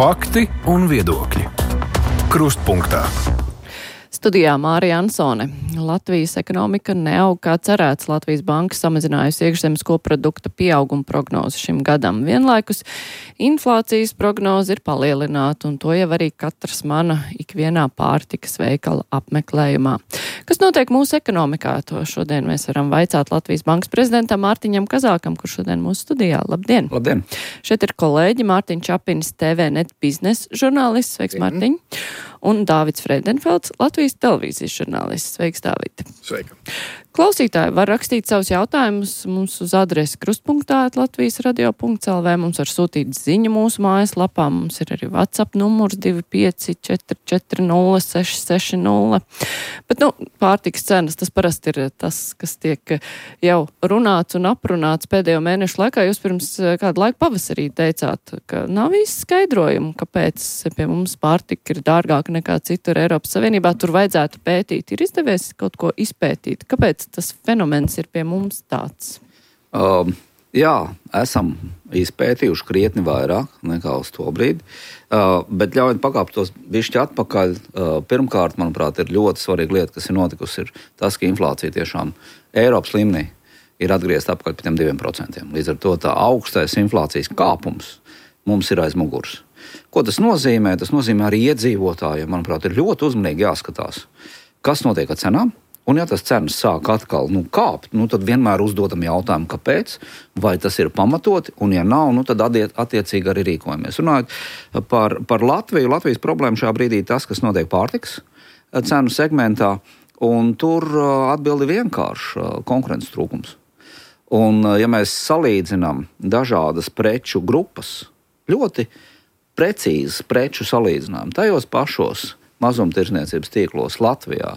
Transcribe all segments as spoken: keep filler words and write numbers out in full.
Fakti un viedokļi. Krustpunktā. Studijā Mārija Ansone. Latvijas ekonomika neaug kā cerēts. Latvijas banka samazinājusi iekšzemes koprodukta pieauguma prognozi šim gadam. Vienlaikus inflācijas prognoze ir palielināta, un to jau arī katrs mana ikvienā pārtikas veikala apmeklējumā. Kas notiek mūsu ekonomikā? To šodien mēs varam vaicāt Latvijas bankas prezidentam Mārtiņam Kazākam, kurš šodien mūsu studijā. Labdien! Labdien! Šeit ir kolēģi Mārtiņš Čapinis, T V net biznesa žurnālists. Sveiks, Mārtiņ! Un Dāvids Freidenfelds, Latvijas televīzijas žurnālists. Sveiks, Dāvid! Sveika! Klausītāji var rakstīt savus jautājumus mums uz adresi krustpunktā at latvijas radio punkts el vē. Mums var sūtīt ziņu mūsu mājaslapā. Mums ir arī WhatsApp numurs divi pieci četri četri nulle seši seši nulle. Bet, nu, pārtikas cenas, tas parasti ir tas, kas tiek jau runāts un aprunāts pēdējo mēnešu laikā. Jūs pirms kādu laiku pavasarī teicāt, ka nav īsti skaidrojumu, kāpēc pie mums pārtika ir dārgāka nekā citur Eiropas Savienībā. Tur vajadzētu pētīt. Ir izdevies kaut ko izpētīt? Kāpēc tas fenomens ir pie mums tāds? Um, jā, esam izpētījuši krietni vairāk nekā uz to brīdi, uh, bet ļaujiet pakāpt tos bišķi atpakaļ. Uh, pirmkārt, manuprāt, ir ļoti svarīga lieta, kas ir notikusi, ir tas, ka inflācija tiešām Eiropas līmenī ir atgriezta atpakaļ pie tiem diviem procentiem. Līdz ar to tā augstais inflācijas kāpums mums ir aiz muguras. Ko tas nozīmē? Tas nozīmē arī iedzīvotājiem, manuprāt, ir ļoti uzmanīgi jāskatās, kas notiek ar cenām. Un ja tas cenas sāk atkal nu, kāpt, nu, tad vienmēr uzdodam jautājumu, kāpēc, vai tas ir pamatoti, un ja nav, nu, tad attiecīgi arī rīkojamies. Runājot par, par Latviju, Latvijas problēma šajā brīdī tas, kas notiek pārtikas cenu segmentā, un tur atbildi vienkārši konkurences trūkums. Un ja mēs salīdzinām dažādas preču grupas, ļoti precīzas preču salīdzinām, tajos pašos mazumtirdzniecības tīklos Latvijā,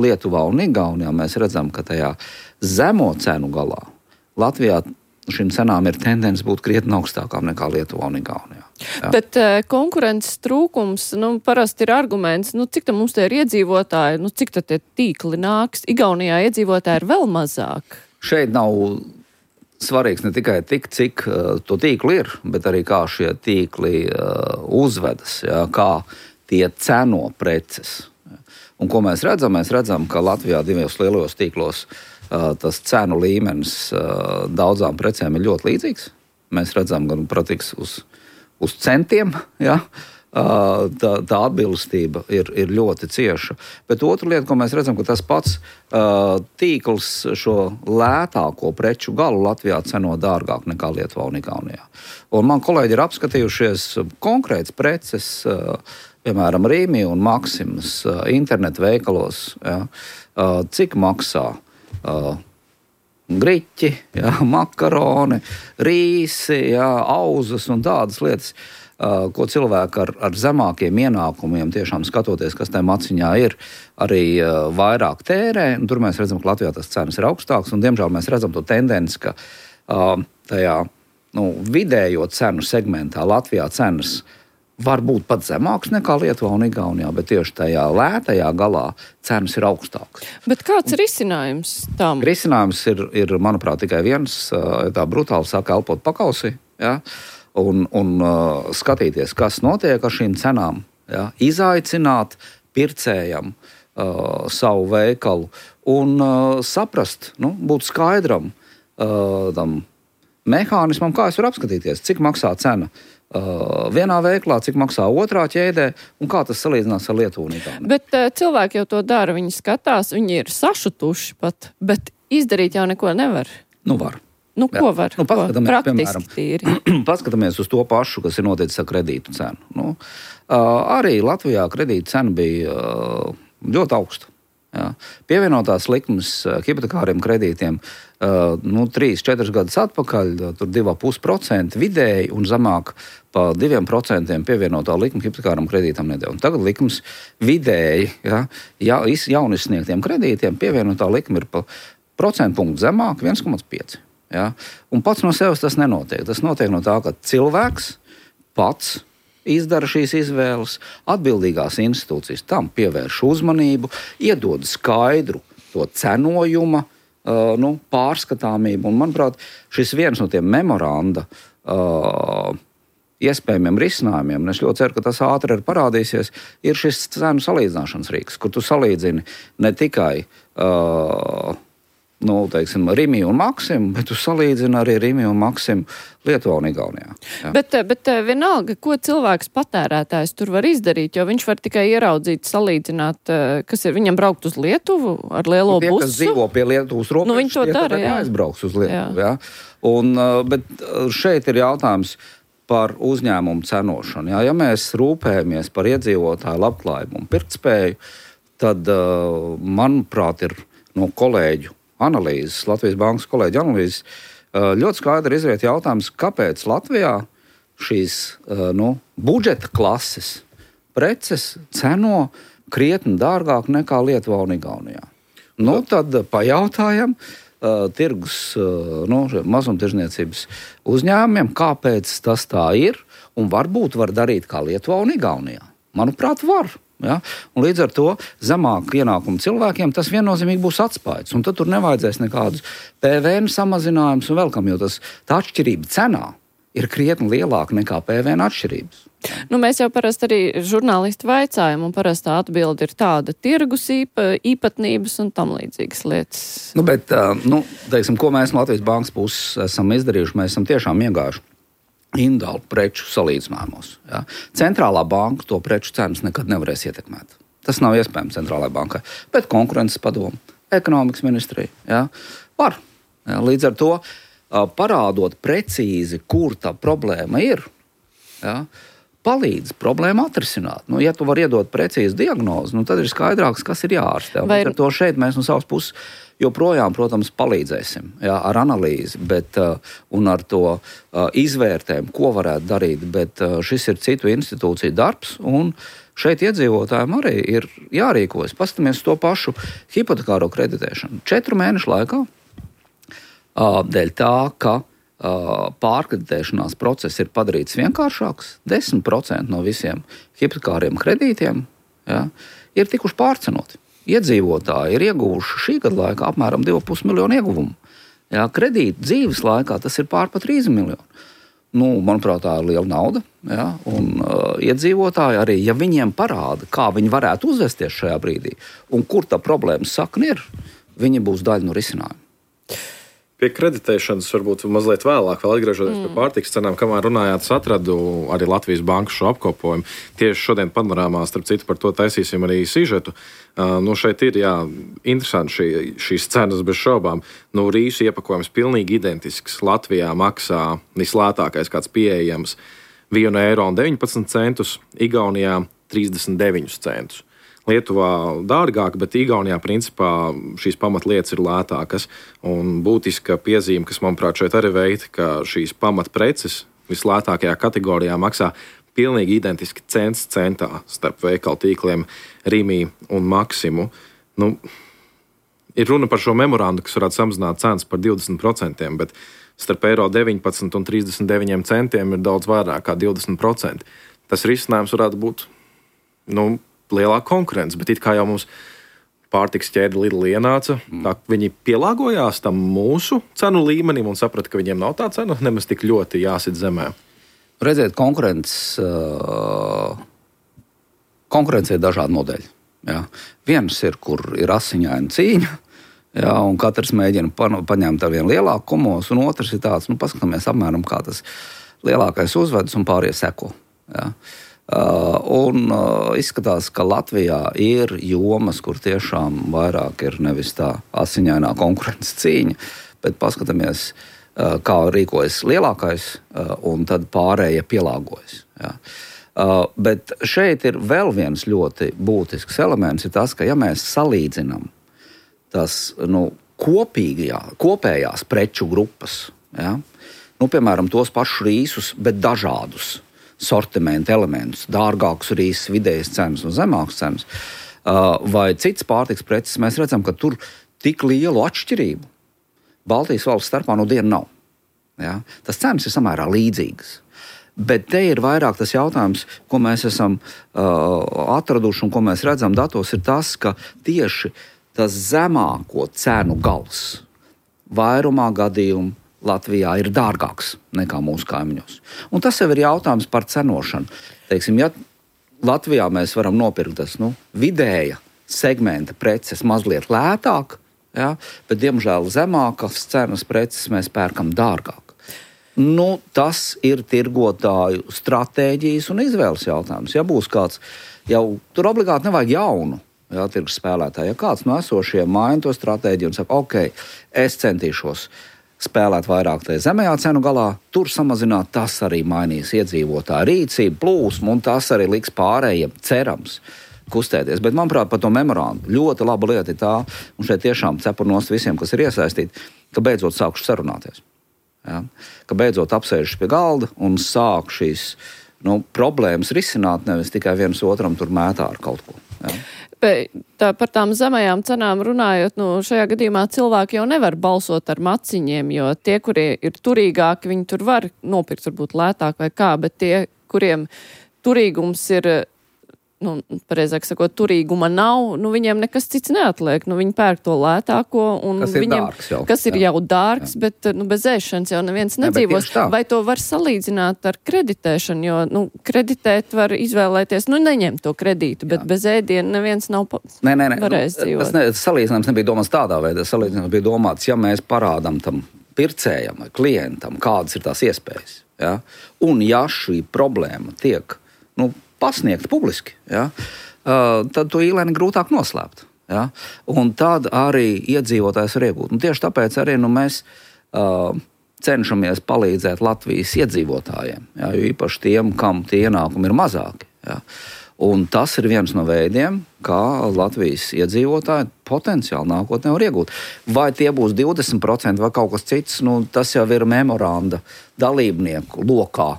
Lietuvā un Igaunijā, mēs redzam, ka tajā zemo cenu galā Latvijā šīm cenām ir tendence būt krietni augstākām nekā Lietuvā un Igaunijā. Jā. Bet uh, konkurences trūkums, nu, parasti ir arguments, nu, cik tad mums te ir iedzīvotāji, nu, cik tad tie tīkli nāks? Igaunijā iedzīvotāji ir vēl mazāk. Šeit nav svarīgs ne tikai tik, cik uh, to tīkli ir, bet arī kā šie tīkli uh, uzvedas, jā, kā tie ceno preces. Un ko mēs redzam? Mēs redzam, ka Latvijā divos lielos tīklos uh, tas cenu līmenis uh, daudzām precēm ir ļoti līdzīgs. Mēs redzam, gan pratiks uz, uz centiem, ja? uh, tā, tā atbilstība ir, ir ļoti cieša. Bet otra lieta, ko mēs redzam, ka tas pats uh, tīkls šo lētāko preču galu Latvijā ceno dārgāk nekā Lietuvā un Igaunijā. Un man kolēģi ir apskatījušies konkrētas preces, uh, piemēram, Rīmi un Maksimas uh, internetu veikalos, ja, uh, cik maksā uh, griķi, ja, makaroni, rīsi, ja, auzas un tādas lietas, uh, ko cilvēki ar, ar zemākiem ienākumiem, tiešām skatoties, kas tajā maciņā ir, arī uh, vairāk tērē. Un tur mēs redzam, ka Latvijā tas cenas ir augstāks, un diemžēl mēs redzam to tendenci, ka uh, tajā nu, vidējo cenu segmentā Latvijā cenas var būt pat zemāks nekā Lietuvā un Igaunijā, bet tieši tajā lētajā galā cenas ir augstākas. Bet kāds ir risinājums tam? Risinājums ir, ir manuprāt, tikai viens, tā brutāli saka, elpot pakausī, ja? un, un uh, skatīties, kas notiek ar šīm cenām, ja? Izaicināt pircējam uh, savu veikalu un uh, saprast, nu, būt skaidram uh, tam mehānismam, kā es varu apskatīties, cik maksā cena Uh, vienā veiklā, cik maksā otrā ķēdē un kā tas salīdzinās ar Lietuvu un Igauniju. Bet uh, cilvēki jau to dara, viņi skatās, viņi ir sašutuši pat, bet izdarīt jau neko nevar. Nu var. Nu Jā. ko var? Nu, paskatāmies, ko? Praktiski tīri. Paskatāmies uz to pašu, kas ir noticis ar kredītu cenu. Nu, uh, arī Latvijā kredītu cena bija uh, ļoti augsta. Jā. Pievienotās likmes hipotekāriem kredītiem uh, nu, trīs četrus gadus atpakaļ, tur divi komats pieci procenti vidēji un zemāk pa diviem procentiem pievienotā likme hipotekāram kredītam nedēļ. Tagad likmes vidēji, ja, ja, jaunisniegtiem kredītiem pievienotā likme ir pa procentu punktu zemāk, viens komats pieci. Ja. Un pats no sevis tas nenotiek. Tas notiek no tā, ka cilvēks pats izdara šīs izvēles, atbildīgās institūcijas tam pievērš uzmanību, iedod skaidru to cenojuma uh, nu, pārskatāmību. Un, manuprāt, šis viens no tiem memoranda uh, iespējamiem risinājumiem, un es ļoti ceru, ka tas ātri ir parādīsies, ir šis cenu salīdzināšanas rīks, kur tu salīdzini ne tikai uh, nu, teiksim, Rimi un Maksimu, bet tu salīdzini arī Rimi un Maksimu Lietuvā un Igaunijā. Jā. Bet, bet vienalga, ko cilvēks patērētājs tur var izdarīt, jo viņš var tikai ieraudzīt, salīdzināt, kas ir viņam braukt uz Lietuvu ar lielo nu, tie, busu. Kas dzīvo pie Lietuvas robežas, nu, viņi to tie dara, jā. aizbrauks uz Lietuvu. Jā. Jā. Un, bet šeit ir jautājums par uzņēmumu cenošanu. Jā. Ja mēs rūpējamies par iedzīvotāju labklājību un pirktspēju, tad, manuprāt, ir no kolēģu analīzes, Latvijas Bankas kolēģi analīzes, ļoti skaidri izriet jautājums, kāpēc Latvijā šīs nu, budžeta klases preces ceno krietni dārgāk nekā Lietuvā un Igaunijā. Nu, tad pajautājam uh, tirgus, uh, nu, mazumtirdzniecības uzņēmumiem, kāpēc tas tā ir, un varbūt var darīt kā Lietuvā un Igaunijā. Manuprāt, var. Ja? Un līdz ar to zemāk ienākumu cilvēkiem tas viennozīmīgi būs atspaids. Un tad tur nevajadzēs nekādus P V N samazinājumus un vēl kam, jo tas, tā atšķirība cenā ir krietni lielāka nekā P V N atšķirības. Nu, mēs jau parasti arī žurnālisti vaicājam, un parastā atbilde ir tāda tirgus īpa, īpatnības un tam līdzīgas lietas. Nu, bet, nu, teiksim, ko mēs no Latvijas Bankas puses esam izdarījuši, mēs esam tiešām iegājuši individuālu preču salīdzinājumos. Ja? Centrālā banka to preču cenas nekad nevarēs ietekmēt. Tas nav iespējams centrālajai bankai. Bet konkurences padomu, ekonomikas ministrija, ja? Var. Ja? Līdz ar to parādot precīzi, kur tā problēma ir, ja? Palīdz problēmu atrisināt. Nu, ja tu vari iedot precīzu diagnozi, nu, tad ir skaidrāks, kas ir jāārstē. Vai... Ar to šeit mēs no savas puses joprojām, protams, palīdzēsim, jā, ar analīzi, bet, uh, un ar to uh, izvērtējumu, ko varētu darīt, bet uh, šis ir citu institūciju darbs, un šeit iedzīvotājiem arī ir jārīkojas. Paskatāmies to pašu hipotekāro kreditēšanu. Četru mēnešu laikā, uh, dēļ tā, ka uh, pārkreditēšanās process ir padarīts vienkāršāks, desmit procenti no visiem hipotekāriem kredītiem, jā, ir tikuši pārcenoti. Iedzīvotāji ir ieguvuši šī gada laikā apmēram divi pusi miljonu ieguvumu. Jā, kredīti dzīves laikā tas ir pār pat trīs miljoni. Nu, manuprāt, tā ir liela nauda. Jā, un uh, iedzīvotāji arī, ja viņiem parāda, kā viņi varētu uzvesties šajā brīdī un kur tā problēmas sakne ir, viņi būs daļa no risinājuma. Pie kreditēšanas varbūt mazliet vēlāk, vēl atgriežoties mm. pie pārtikas cenām, kamēr runājāt, es atradu arī Latvijas Bankas šo apkopojumu. Tieši šodien panorāmā, starp citu, par to taisīsim arī sižetu. Uh, nu šeit ir, jā, interesanti šī, šīs cenas bez šaubām. Nu, rīsu iepakojums pilnīgi identisks. Latvijā maksā vislētākais kāds pieejams vienu eiro un deviņpadsmit centus, Igaunijā trīsdesmit deviņus centus. Lietuvā dārgāk, bet Igaunijā principā šīs pamatlietas ir lētākas. Un būtiska piezīme, kas manuprāt šeit arī veikta, ka šīs pamatpreces vislētākajā kategorijā maksā pilnīgi identiski cents centā starp veikalu tīkliem Rimi un Maksimu. Nu, ir runa par šo memorandu, kas varētu samazināt cenas par divdesmit procentiem, bet starp eiro deviņpadsmit un trīsdesmit deviņiem centiem ir daudz vairāk kā divdesmit procenti. Tas risinājums varētu būt, nu, lielāka konkurence, bet it kā jau mums pārtiks ķēde Lidl ienāca, tā viņi pielāgojās tam mūsu cenu līmenim un saprata, ka viņiem nav tā cena nemaz tik ļoti jāsit zemē. Redziet, konkurences, uh, konkurence ir dažādi modeļi. Jā. Viens ir, kur ir asiņaina cīņa, jā, un katrs mēģina pa, paņemt ar vienu lielāku kumosu, un otrs ir tāds, nu, paskatāmies apmēram, kā tas lielākais uzvedas un pārējie seko. Jā. Uh, un uh, izskatās, ka Latvijā ir jomas, kur tiešām vairāk ir nevis tā asiņainā konkurences cīņa, bet paskatāmies, uh, kā rīkojas lielākais, uh, un tad pārējie pielāgojas. Ja. Uh, bet šeit ir vēl viens ļoti būtisks elements, ir tas, ka ja mēs salīdzinām tas, nu, kopīgajā, kopējās preču grupas, ja, nu, piemēram, tos pašus rīsus, bet dažādus sortimenta elementus, dārgākus rīsus, vidējas cenas un zemākas cenas, vai cits pārtiks preces, mēs redzam, ka tur tik lielu atšķirību Baltijas valsts starpā no dienu nav. Ja? Tas cenas ir samērā līdzīgas. Bet te ir vairāk tas jautājums, ko mēs esam uh, atraduši un ko mēs redzam datos, ir tas, ka tieši tas zemāko cenu gals vairumā gadījumu Latvijā ir dārgāks nekā mūsu kaimiņos. Un tas jau ir jautājums par cenošanu. Teiksim, ja Latvijā mēs varam nopirkt tas nu, vidēja segmenta preces mazliet lētāk, ja, bet, diemžēl, zemākas cenas preces mēs pērkam dārgāk. Nu, tas ir tirgotāju stratēģijas un izvēles jautājums. Ja būs kāds, jau tur obligāti nevajag jaunu, ja, tirgus spēlētāju. Ja kāds no esošiem maina to stratēģiju un saka, ok, es centīšos spēlēt vairāk tajā zemējā cenu galā, tur samazināt, tas arī mainīs iedzīvotāju rīcību, plūsmu, un tas arī liks pārējiem, cerams, kustēties. Bet, manuprāt, par to memorandu ļoti laba lieta ir tā, un šeit tiešām cepur nost visiem, kas ir iesaistīti, ka beidzot sākuši sarunāties. Ja? Ka beidzot apsēžas pie galda un sāk šīs nu, problēmas risināt, nevis tikai viens otram tur mētā ar kaut ko. Ja? Tā, par tām zemējām cenām runājot, nu, šajā gadījumā cilvēki jau nevar balsot ar maciņiem, jo tie, kuri ir turīgāki, viņi tur var nopirkt varbūt lētāk vai kā, bet tie, kuriem turīgums ir, nu, pareizāk sakot, turīguma nav, nu, viņiem nekas cits neatliek. Nu, viņi pērk to lētāko, un kas ir viņiem, dārgs jau. Kas ir jā. jau dārgs, jā. bet, nu, bez ēšanas jau neviens nedzīvos. Jā, vai to var salīdzināt ar kreditēšanu, jo, nu, kreditēt var izvēlēties, nu, neņemt to kredītu, bet jā. bez ēdiena neviens nav pa... nē, nē, nē. varējis dzīvot. Tas ne, salīdzinājums nebija domāts tādā veidā. Salīdzinājums bija domāts, ja mēs parādam tam pircējam vai klientam, kādas ir tās iespējas. Ja? Un ja šī problēma tiek, nu, pasniegt publiski, ja, uh, tad to īlēni grūtāk noslēpt. Ja, un tad arī iedzīvotājs var iegūt. Un tieši tāpēc arī nu, mēs uh, cenšamies palīdzēt Latvijas iedzīvotājiem, ja, jo īpaši tiem, kam tie ienākumi ir mazāki. Ja. Un tas ir viens no veidiem, kā Latvijas iedzīvotāji potenciāli nākotnē var iegūt. Vai tie būs divdesmit procenti vai kaut kas cits, nu, tas jau ir memoranda dalībnieku lokā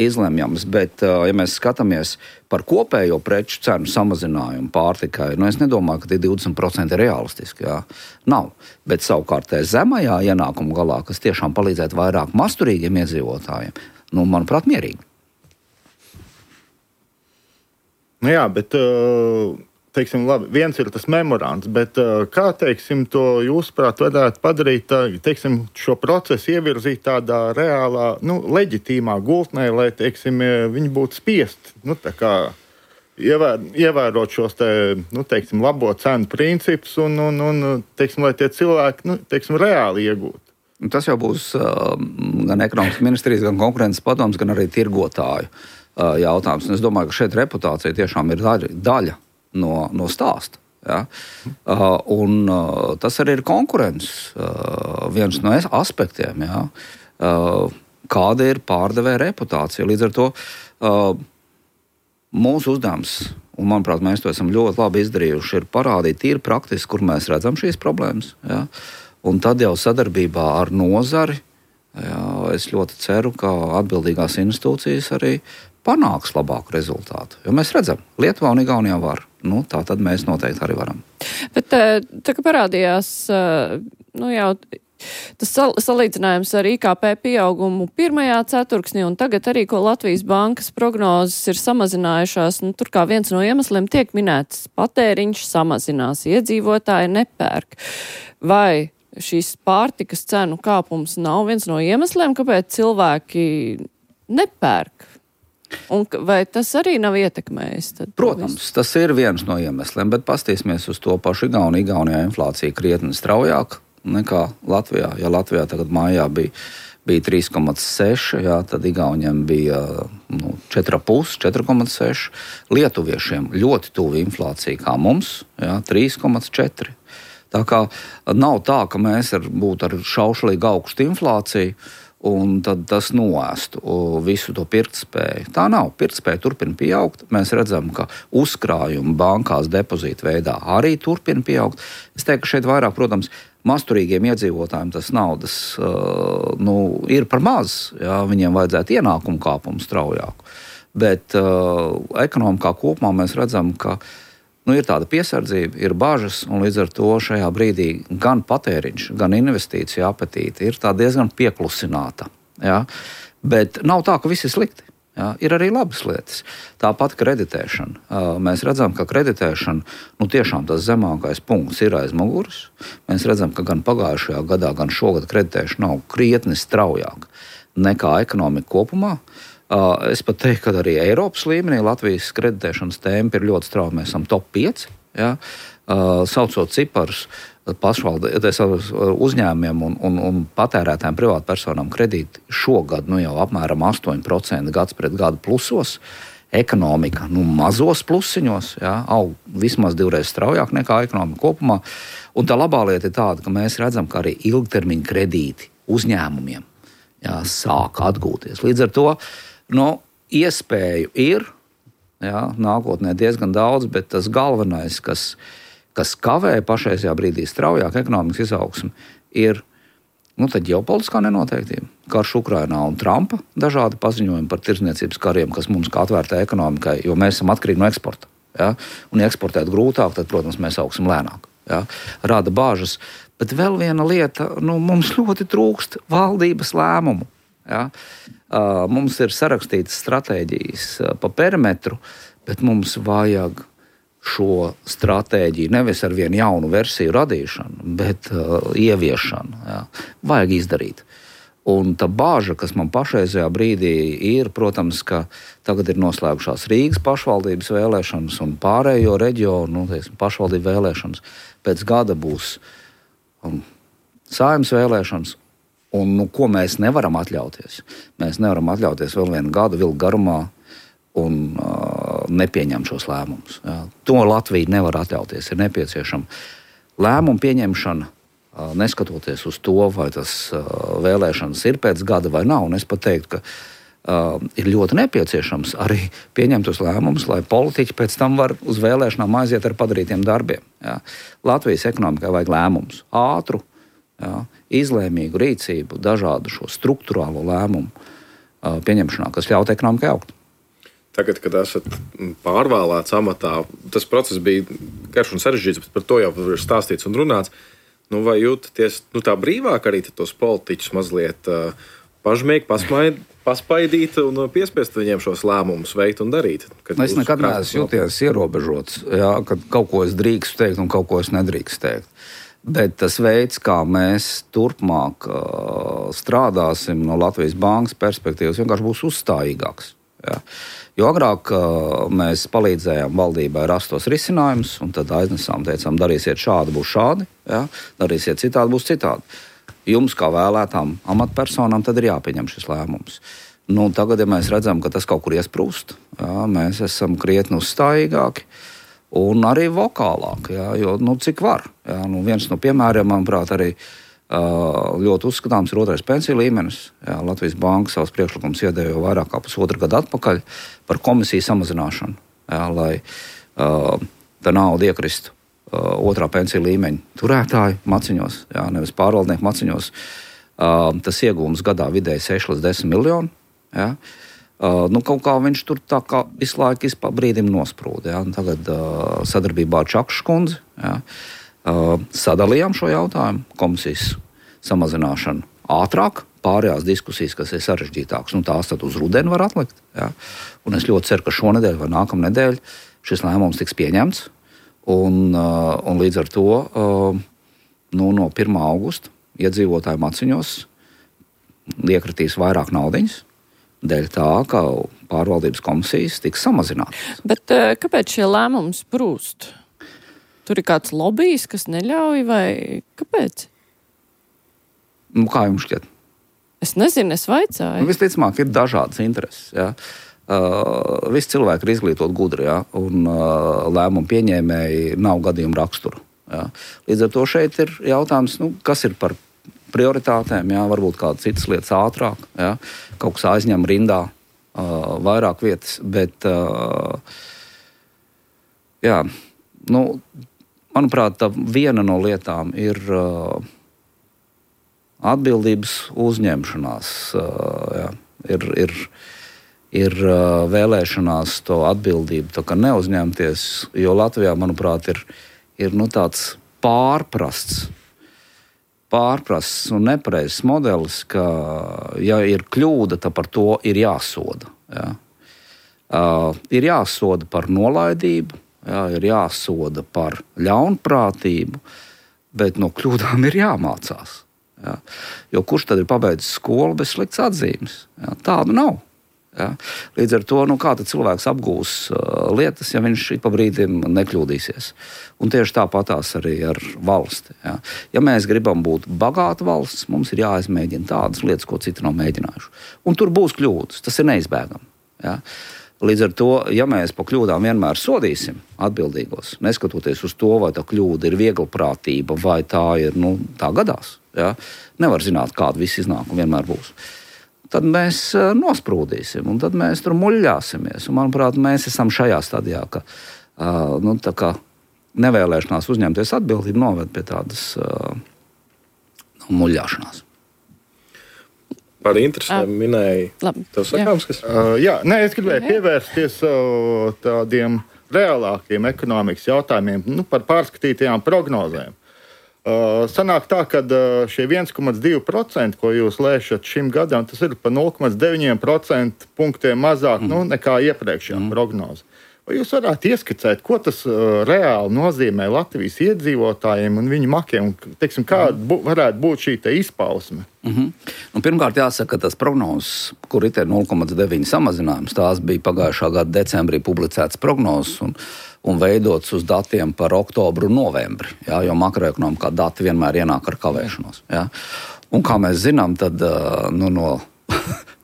izlemjams, bet, ja mēs skatāmies par kopējo preču cenu samazinājumu pārtikai, nu es nedomāju, ka tie divdesmit procenti ir realistiski, jā. Nav. Bet savukārt zemajā ienākuma galā, kas tiešām palīdzētu vairāk masturīgiem iedzīvotājiem, nu, manuprāt, mierīgi. Nu jā, bet, teiksim, labi, viens ir tas memorands, bet kā, teiksim, to jūsuprāt varētu padarīt, teiksim, šo procesu ievirzīt tādā reālā, nu, leģitīmā gultnē, lai, teiksim, viņi būtu spiest, nu, tā kā ievēr, ievērot šos, te, nu, teiksim, labo cenu principus un, un, un, teiksim, lai tie cilvēki, nu, teiksim, reāli iegūtu. Tas jau būs uh, gan ekonomikas ministrijas, gan konkurences padoms, gan arī tirgotāju uh, jautājums. Un es domāju, ka šeit reputācija tiešām ir daļa, daļa no, no stāsta. Ja? Uh, un uh, tas arī ir konkurences uh, viens no aspektiem. Ja? Uh, kāda ir pārdevēja reputācija? Līdz ar to uh, mūsu uzdevums, un manuprāt, mēs to esam ļoti labi izdarījuši, ir parādīt tīri praktiski, kur mēs redzam šīs problēmas. Ja? Un tad jau sadarbībā ar nozari, ja, es ļoti ceru, ka atbildīgās institūcijas arī panāks labāku rezultātu. Jo mēs redzam, Lietuvā un Igaunijā var. Nu, tā tad mēs noteikti arī varam. Bet tā kā parādījās, nu jau tas sal salīdzinājums ar I K P pieaugumu pirmajā ceturksnī un tagad arī, ko Latvijas bankas prognozes ir samazinājušās, nu, tur kā viens no iemesliem tiek minēts patēriņš samazinās, iedzīvotāji nepērk. Vai šīs pārtikas cenu kāpums nav viens no iemesliem, kāpēc cilvēki nepērk? Un vai tas arī nav ietekmējis? Tad Protams, tas ir viens no iemesliem, bet pastīsimies uz to pašu Igauniju. Igaunijā inflācija krietni straujāk nekā Latvijā. Ja Latvijā tagad mājā bija, bija trīs komats seši, jā, tad Igauniem bija nu, četri komats pieci, četri komats seši. Lietuviešiem ļoti tuvu inflācija kā mums, jā, trīs komats četri. Tā kā nav tā, ka mēs ar, būtu ar šaušalīgu augstu inflāciju un tad tas noēstu visu to pirktspēju. Tā nav. Pirktspēja turpina pieaugt. Mēs redzam, ka uzkrājumi bankās depozītu veidā arī turpina pieaugt. Es teiktu, ka šeit vairāk, protams, masturīgiem iedzīvotājiem tas naudas uh, nu, ir par maz. Jā, viņiem vajadzētu ienākumu kāpumu straujāku. Bet uh, ekonomikā kopumā mēs redzam, ka nu, ir tāda piesardzība, ir bažas, un līdz ar to šajā brīdī gan patēriņš, gan investīcija apetīte ir tā diezgan pieklusināta. Ja? Bet nav tā, ka viss ir slikti. Jā, ir arī labas lietas. Tāpat kreditēšana. Mēs redzam, ka kreditēšana, nu tiešām tas zemākais punkts ir aiz muguras. Mēs redzam, ka gan pagājušajā gadā, gan šogad kreditēšana nav krietni straujāk nekā ekonomika kopumā. Es pat teiktu, ka arī Eiropas līmenī Latvijas kreditēšanas tempi ir ļoti strauji. Mēs esam top pieci, jā, saucot ciparus. Pašvaldības uzņēmumiem un, un, un patērētājiem privātpersonām kredīti šogad nu jau apmēram astoņi procenti gads pret gadu plusos. Ekonomika nu, mazos plusiņos, jā, aug vismaz divreiz straujāk nekā ekonomika kopumā. Un tā labā lieta ir tāda, ka mēs redzam, ka arī ilgtermiņa kredīti uzņēmumiem jā, sāk atgūties. Līdz ar to nu, iespēju ir, jā, nākotnē diezgan daudz, bet tas galvenais, kas kas kavē pašreizajā brīdī straujāk ekonomikas izaugsmi, ir nu, ģeopolitiskā nenoteiktība. Karš Ukrainā un Trumpa dažādi paziņojumi par tirdzniecības kariem, kas mums kā atvērtai ekonomikai, jo mēs esam atkarīgi no eksporta. Ja? Un, ja eksportēt grūtāk, tad, protams, mēs augsim lēnāk. Ja? Rada bāžas. Bet vēl viena lieta, nu, mums ļoti trūkst valdības lēmumu. Ja? Uh, mums ir sarakstītas stratēģijas uh, pa perimetru, bet mums vajag šo stratēģiju nevis ar vienu jaunu versiju radīšanu, bet uh, ieviešanu. Jā. Vajag izdarīt. Un tā bāža, kas man pašreizajā brīdī ir, protams, ka tagad ir noslēgušās Rīgas pašvaldības vēlēšanas un pārējo reģionu nu, teiksim, pašvaldību vēlēšanas. Pēc gada būs um, Saeimas vēlēšanas. Un nu, ko mēs nevaram atļauties? Mēs nevaram atļauties vēl vienu gadu vilku garumā un uh, nepieņemt šos lēmumus. Jā. To Latvija nevar atļauties. Ir nepieciešama lēmumu pieņemšana, uh, neskatoties uz to, vai tas uh, vēlēšanas ir pēc gada vai nav. Un es pat teiktu, ka uh, ir ļoti nepieciešams arī pieņemt tos lēmumus, lai politiķi pēc tam var uz vēlēšanām aiziet ar padarītiem darbiem. Jā. Latvijas ekonomikai vajag lēmumus. Ātru, jā, izlēmīgu rīcību, dažādu šo struktūrālo lēmumu uh, pieņemšanā, kas ļaut ekonomikai augt. Tagad, kad esat pārvēlēts amatā, tas process bija garš un sarežģīts, bet par to jau ir stāstīts un runāts. Nu, vai jūtaties nu, tā brīvāk arī tos politiķus mazliet uh, pažmīgi, pasmaid, paspaidīt un piespiest viņiem šos lēmumus veikt un darīt? Es nekad neesmu jūties ierobežots, jā, kad kaut ko es drīkstu teikt un kaut ko es nedrīkstu teikt. Bet tas veids, kā mēs turpmāk uh, strādāsim no Latvijas bankas perspektīvas, vienkārši būs uzstājīgāks. Jā. Jo agrāk uh, mēs palīdzējām valdībai rast tos risinājumus, un tad aiznesām, teicām, darīsiet šādi, būs šādi, jā, darīsiet citādi, būs citādi. Jums, kā vēlētām amatpersonām, tad ir jāpieņem šis lēmums. Nu, tagad, ja mēs redzam, ka tas kaut kur iesprūst, jā, mēs esam krietni uzstājīgāki un arī vokālāki, jā, jo nu, cik var. Jā, nu, viens no piemēriem, manuprāt, arī ļoti uzskatāms ir otrais pensiju līmenis. Jā, Latvijas banka savus priekšlikumus iedeva jau vairāk kā pusotru gadu atpakaļ par komisiju samazināšanu, jā, lai uh, tā nauda iekristu uh, otrā pensiju līmeņa turētāju maciņos, jā, nevis pārvaldnieku maciņos. Uh, tas iegūms gadā vidēji seši līdz desmit miljoni. Jā. Uh, nu, kaut kā viņš tur tā kā visu laiku izpā brīdim nosprūda. Jā. Tagad uh, sadarbībā ar Čakšu kundzi, jā, Uh, sadalījām šo jautājumu, komisijas samazināšanu ātrāk, pārējās diskusijas, kas ir sarežģītākas, nu tās tad uz rudeni var atlikt. Jā. Un es ļoti ceru, ka šonedēļ vai nākamnedēļ šis lēmums tiks pieņemts, un, uh, un līdz ar to uh, nu, no pirmā augusta iedzīvotāju maciņos iekritīs vairāk naudiņas, dēļ tā, ka pārvaldības komisijas tiks samazinātas. Bet uh, kāpēc šie lēmumi sprūst? Tur ir kāds lobijs, kas neļauj, vai kāpēc? Nu, kā jums šķiet? Es nezinu, es vaicāju. Nu, visticamāk, ir dažādas intereses. Jā. Uh, visi cilvēki ir izglītot gudri, jā, un uh, lēmumu pieņēmēji nav gadījuma rakstura. Jā. Līdz ar to šeit ir jautājums, nu, kas ir par prioritātēm, jā, varbūt kādas citas lietas ātrāk, jā, kaut kas aizņem rindā uh, vairāk vietas, bet uh, jā, nu, manuprāt, tā viena no lietām ir uh, atbildības uzņemšanās. Uh, jā, ir ir, ir uh, vēlēšanās to atbildību tā kā neuzņemties, jo Latvijā, manuprāt, ir, ir nu, tāds pārprasts, pārprasts un nepareizs modelis, ka, ja ir kļūda, tad par to ir jāsoda. Jā. Uh, ir jāsoda par nolaidību, jā, ir jāsoda par ļaunprātību, bet no kļūdām ir jāmācās. Jā. Jo kurš tad ir pabeidzis skolu bez sliktas atzīmes? Jā, tādu nav. Jā. Līdz ar to, nu, kā tad cilvēks apgūs uh, lietas, ja viņš ik pa brīdim nekļūdīsies. Un tieši tāpatās arī ar valsti. Jā. Ja mēs gribam būt bagāta valsts, mums ir jāizmēģina tādas lietas, ko citi nav mēģinājuši. Un tur būs kļūdas, tas ir neizbēgami. Jā. Līdz ar to, ja mēs pa kļūdām vienmēr sodīsim atbildīgos, neskatoties uz to, vai tā kļūda ir vieglprātība, vai tā ir, nu, tā gadās, jā, nevar zināt, kāda viss iznākuma vienmēr būs, tad mēs nosprūdīsim, un tad mēs tur muļļāsimies. Un, manuprāt, mēs esam šajā stadijā, ka uh, nu, tā kā nevēlēšanās uzņemties atbildību noved pie tādas uh, muļļāšanās. Par interesēm minēja. Tev sakāms, kas? Uh, jā, nē, es gribēju pievērsties uh, tādiem reālākiem ekonomikas jautājumiem, nu, par pārskatītajām prognozēm. Uh, sanāk tā, ka uh, šie viens komats divi procenti, ko jūs lēšat šim gadam, tas ir pa nulle komats deviņi procenti punktiem mazāk mm. nu, nekā iepriekšējā mm. prognoze. Vai jūs varētu ieskicēt, ko tas uh, reāli nozīmē Latvijas iedzīvotājiem un viņu makiem? Teiksim, kāda bu, varētu būt šī te izpausme? Mm-hmm. Nu, pirmkārt, jāsaka, ka tas prognozes, kur ir nulle komats deviņi samazinājums, tās bija pagājušā gada decembrī publicētas prognozes un, un veidotas uz datiem par oktobru un novembri, jā, jo makroekonomikā dati vienmēr ienāk ar kavēšanos. Jā. Un kā mēs zinām, tad uh, nu, no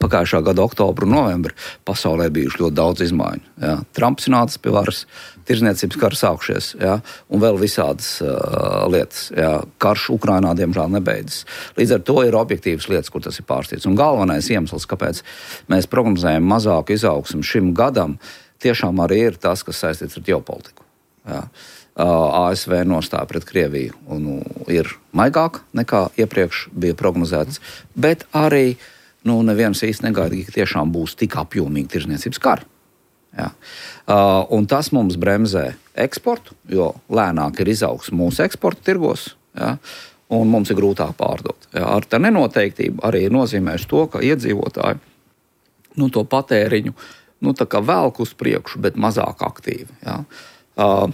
pagājušā gada oktobra un novembra pasaulē bijuši ļoti daudz izmaiņu. Jā. Trumps nācis pie varas, tirzniecības kara sākšies, jā, un vēl visādas uh, lietas. Jā. Karš Ukrainā, diemžēl, nebeidzas. Līdz ar to ir objektīvas lietas, kur tas ir pārstīts. Un galvenais iemesls, kāpēc mēs prognozējam mazāku izaugsmu šim gadam, tiešām arī ir tas, kas saistīts ar ģeopolitiku. Jā. A S V nostāja pret Krieviju un, nu, ir maigāk nekā iepriekš bija prognozēts, bet arī nu, neviens īsti negaidīja, ka tiešām būs tik apjomīgi tirzniecības kari. Ja. Uh, un tas mums bremzē eksportu, jo lēnāk ir izaugsme mūsu eksporta tirgos, ja, un mums ir grūtāk pārdot. Ja. Ar tā nenoteiktību arī nozīmēs to, ka iedzīvotāji nu, to patēriņu nu, tā kā velk uz priekšu, bet mazāk aktīvi. Ja. Uh,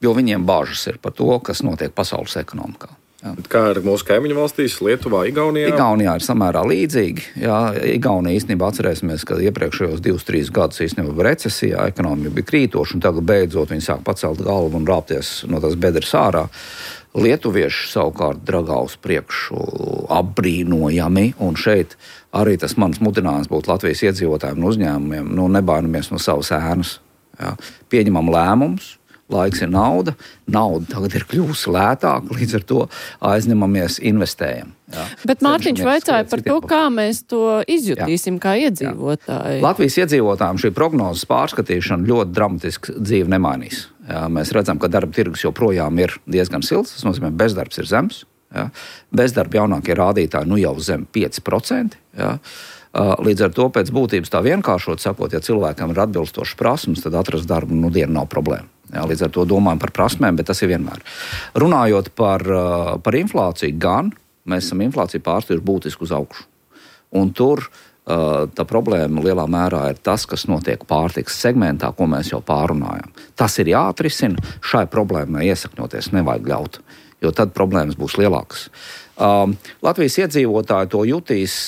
jo viņiem bāžas ir par to, kas notiek pasaules ekonomikā. Jā. Kā ar mūsu kaimiņu valstīs, Lietuvā, Igaunijā? Igaunijā ir samērā līdzīgi. Jā, Igaunija īstenībā atcerēsimies, ka iepriekšējos divus, trīs gadus īstenībā bija recesijā, ekonomija bija krītoša, un tagad beidzot viņi sāk pacelt galvu un rāpties no tās bedres ārā. Lietuvieši savukārt dragā uz priekšu apbrīnojami, un šeit arī tas mans mudinājums būtu Latvijas iedzīvotājiem un uzņēmumiem, nu nebainamies no savas ēnas. Jā. Pieņemam lēmumus. Laiks ir nauda, nauda tagad ir kļūsi lētāka, līdz ar to aizņemamies, investējam. Jā. Bet Mārtiņš vaicāja par to, kā mēs to izjutīsim, jā. Kā iedzīvotāji. Jā. Latvijas iedzīvotājiem šī prognozes pārskatīšana ļoti dramatiski dzīvi nemainīs. Jā, mēs redzam, ka darba tirgus joprojām ir diezgan silts, tas nozīmē, bezdarbs ir zems. Jā. Bezdarba jaunākie rādītāji nu jau zem pieci procenti. Jā. Līdz ar to pēc būtības tā vienkāršot sakot, ja cilvēkam ir atbilstošas prasmes, tad atrast darbu nu dienu nav problēma. Jā, līdz ar to domājam par prasmēm, bet tas ir vienmēr. Runājot par, par inflāciju, gan mēs esam inflāciju pārstījuši būtiski uz augšu. Un tur tā problēma lielā mērā ir tas, kas notiek pārtikas segmentā, ko mēs jau pārunājam. Tas ir jāatrisina, šai problēmai iesakņoties nevajag ļaut, jo tad problēmas būs lielākas. Latvijas iedzīvotāji to jutīs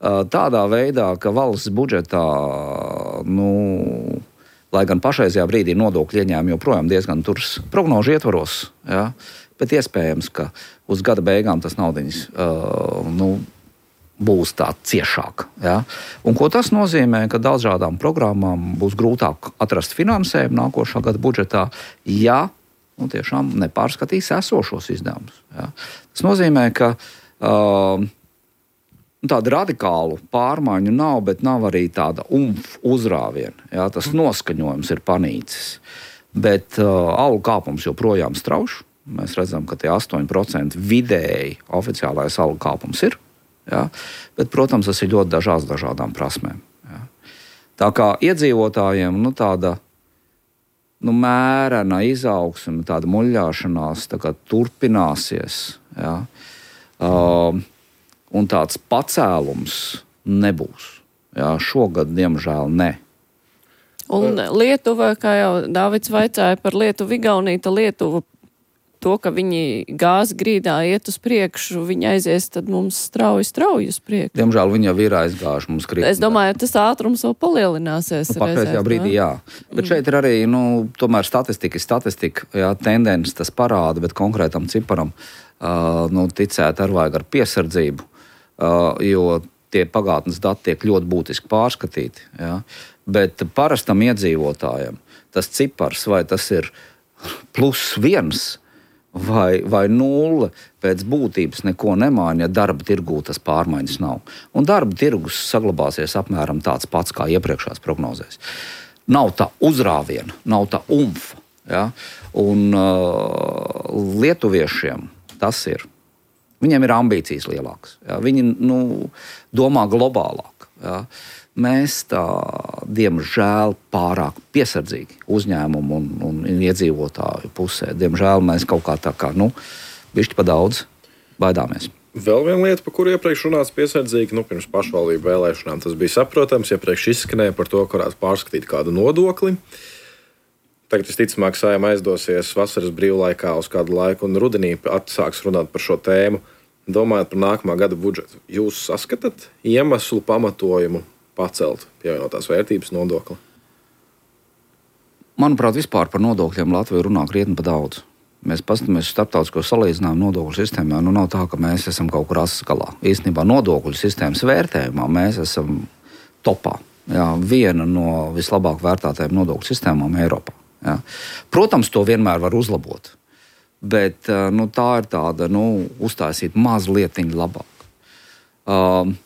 tādā veidā, ka valsts budžetā, nu, lai gan pašreizajā brīdī nodokļu ieņēmumi joprojām diezgan turs prognožu ietvaros, ja, bet iespējams, ka uz gada beigām tas naudiņas uh, nu, būs tā ciešāk. Ja. Un ko tas nozīmē, ka dažādām programmām būs grūtāk atrast finansējumu nākošā gada budžetā, ja nu, tiešām nepārskatīs esošos izdevumus. Ja. Tas nozīmē, ka uh, tāda radikālu pārmaiņu nav, bet nav arī tāda umf uzrāviena. Jā, tas noskaņojums ir panīcis. Bet uh, algu kāpums joprojām strauš. Mēs redzam, ka tie astoņi procenti vidēji oficiālais algu kāpums ir. Jā. Bet, protams, tas ir ļoti dažāds dažādām prasmēm. Jā. Tā kā iedzīvotājiem nu, tāda nu, mērena izaugsme, tāda muļļāšanās tā kā turpināsies. Jā. Uh, Un tāds pacēlums nebūs. Jā, šogad, diemžēl, ne. Un Lietuva, kā jau Dāvids vaicāja par Lietuvu, Igauniju, tā Lietuva to, ka viņi gāzes grīdā iet uz priekšu, viņi aizies, tad mums strauji, strauji uz priekšu. Diemžēl viņi jau ir aizgājuši mums krīt. Es domāju, tas ātrums vēl palielināsies. Nu, Pakreizajā brīdī, jā. Bet šeit ir arī, nu, tomēr statistika, statistika, jā, tendences tas parāda, bet konkrētam ciparam, uh, nu, ticēt ar vajag ar piesardzību, uh, jo tie pagātnes dati tiek ļoti būtiski pārskatīti, jā. Bet parastam iedzīvotājam tas cipars, vai tas ir plus viens, Vai, vai nulle pēc būtības neko nemaina, ja darba tirgū tas pārmaiņas nav. Un darba tirgus saglabāsies apmēram tāds pats kā iepriekšās prognozēs. Nav tā uzrāviena, nav tā umfa. Ja? Un uh, lietuviešiem tas ir. Viņiem ir ambīcijas lielākas. Ja? Viņi nu, domā globālāk. Ja? Mēs tā, diemžēl, pārāk piesardzīgi uzņēmumu un, un iedzīvotāju pusē. Diemžēl mēs kaut kā tā kā, nu, bišķi pa daudz baidāmies. Vēl viena lieta, par kuru iepriekš runāts piesardzīgi, nu, pirms pašvaldību vēlēšanām tas bija saprotams, iepriekš izskanēja par to, ka varētu pārskatīt kādu nodokli. Tagad, visticamāk, Saeima aizdosies vasaras brīvlaikā uz kādu laiku un rudenī atsāks runāt par šo tēmu. Domājot par nākamā gada budžetu, jūs saskatāt iemeslu pamatojumu pacelt pievienotās vērtības nodokli? Manuprāt, vispār par nodokļiem Latvija runā krietni pa daudz. Mēs paskatāmies uz starptautisko salīdzinājumu nodokļu sistēmā. Nu, nav tā, ka mēs esam kaut kur asaskalā. Īstenībā nodokļu sistēmas vērtējumā mēs esam topā. Jā, viena no vislabāk vērtētajām nodokļu sistēmām Eiropā. Jā. Protams, to vienmēr var uzlabot. Bet nu, tā ir tāda, nu, uztaisīt mazlietiņu labāk. Um,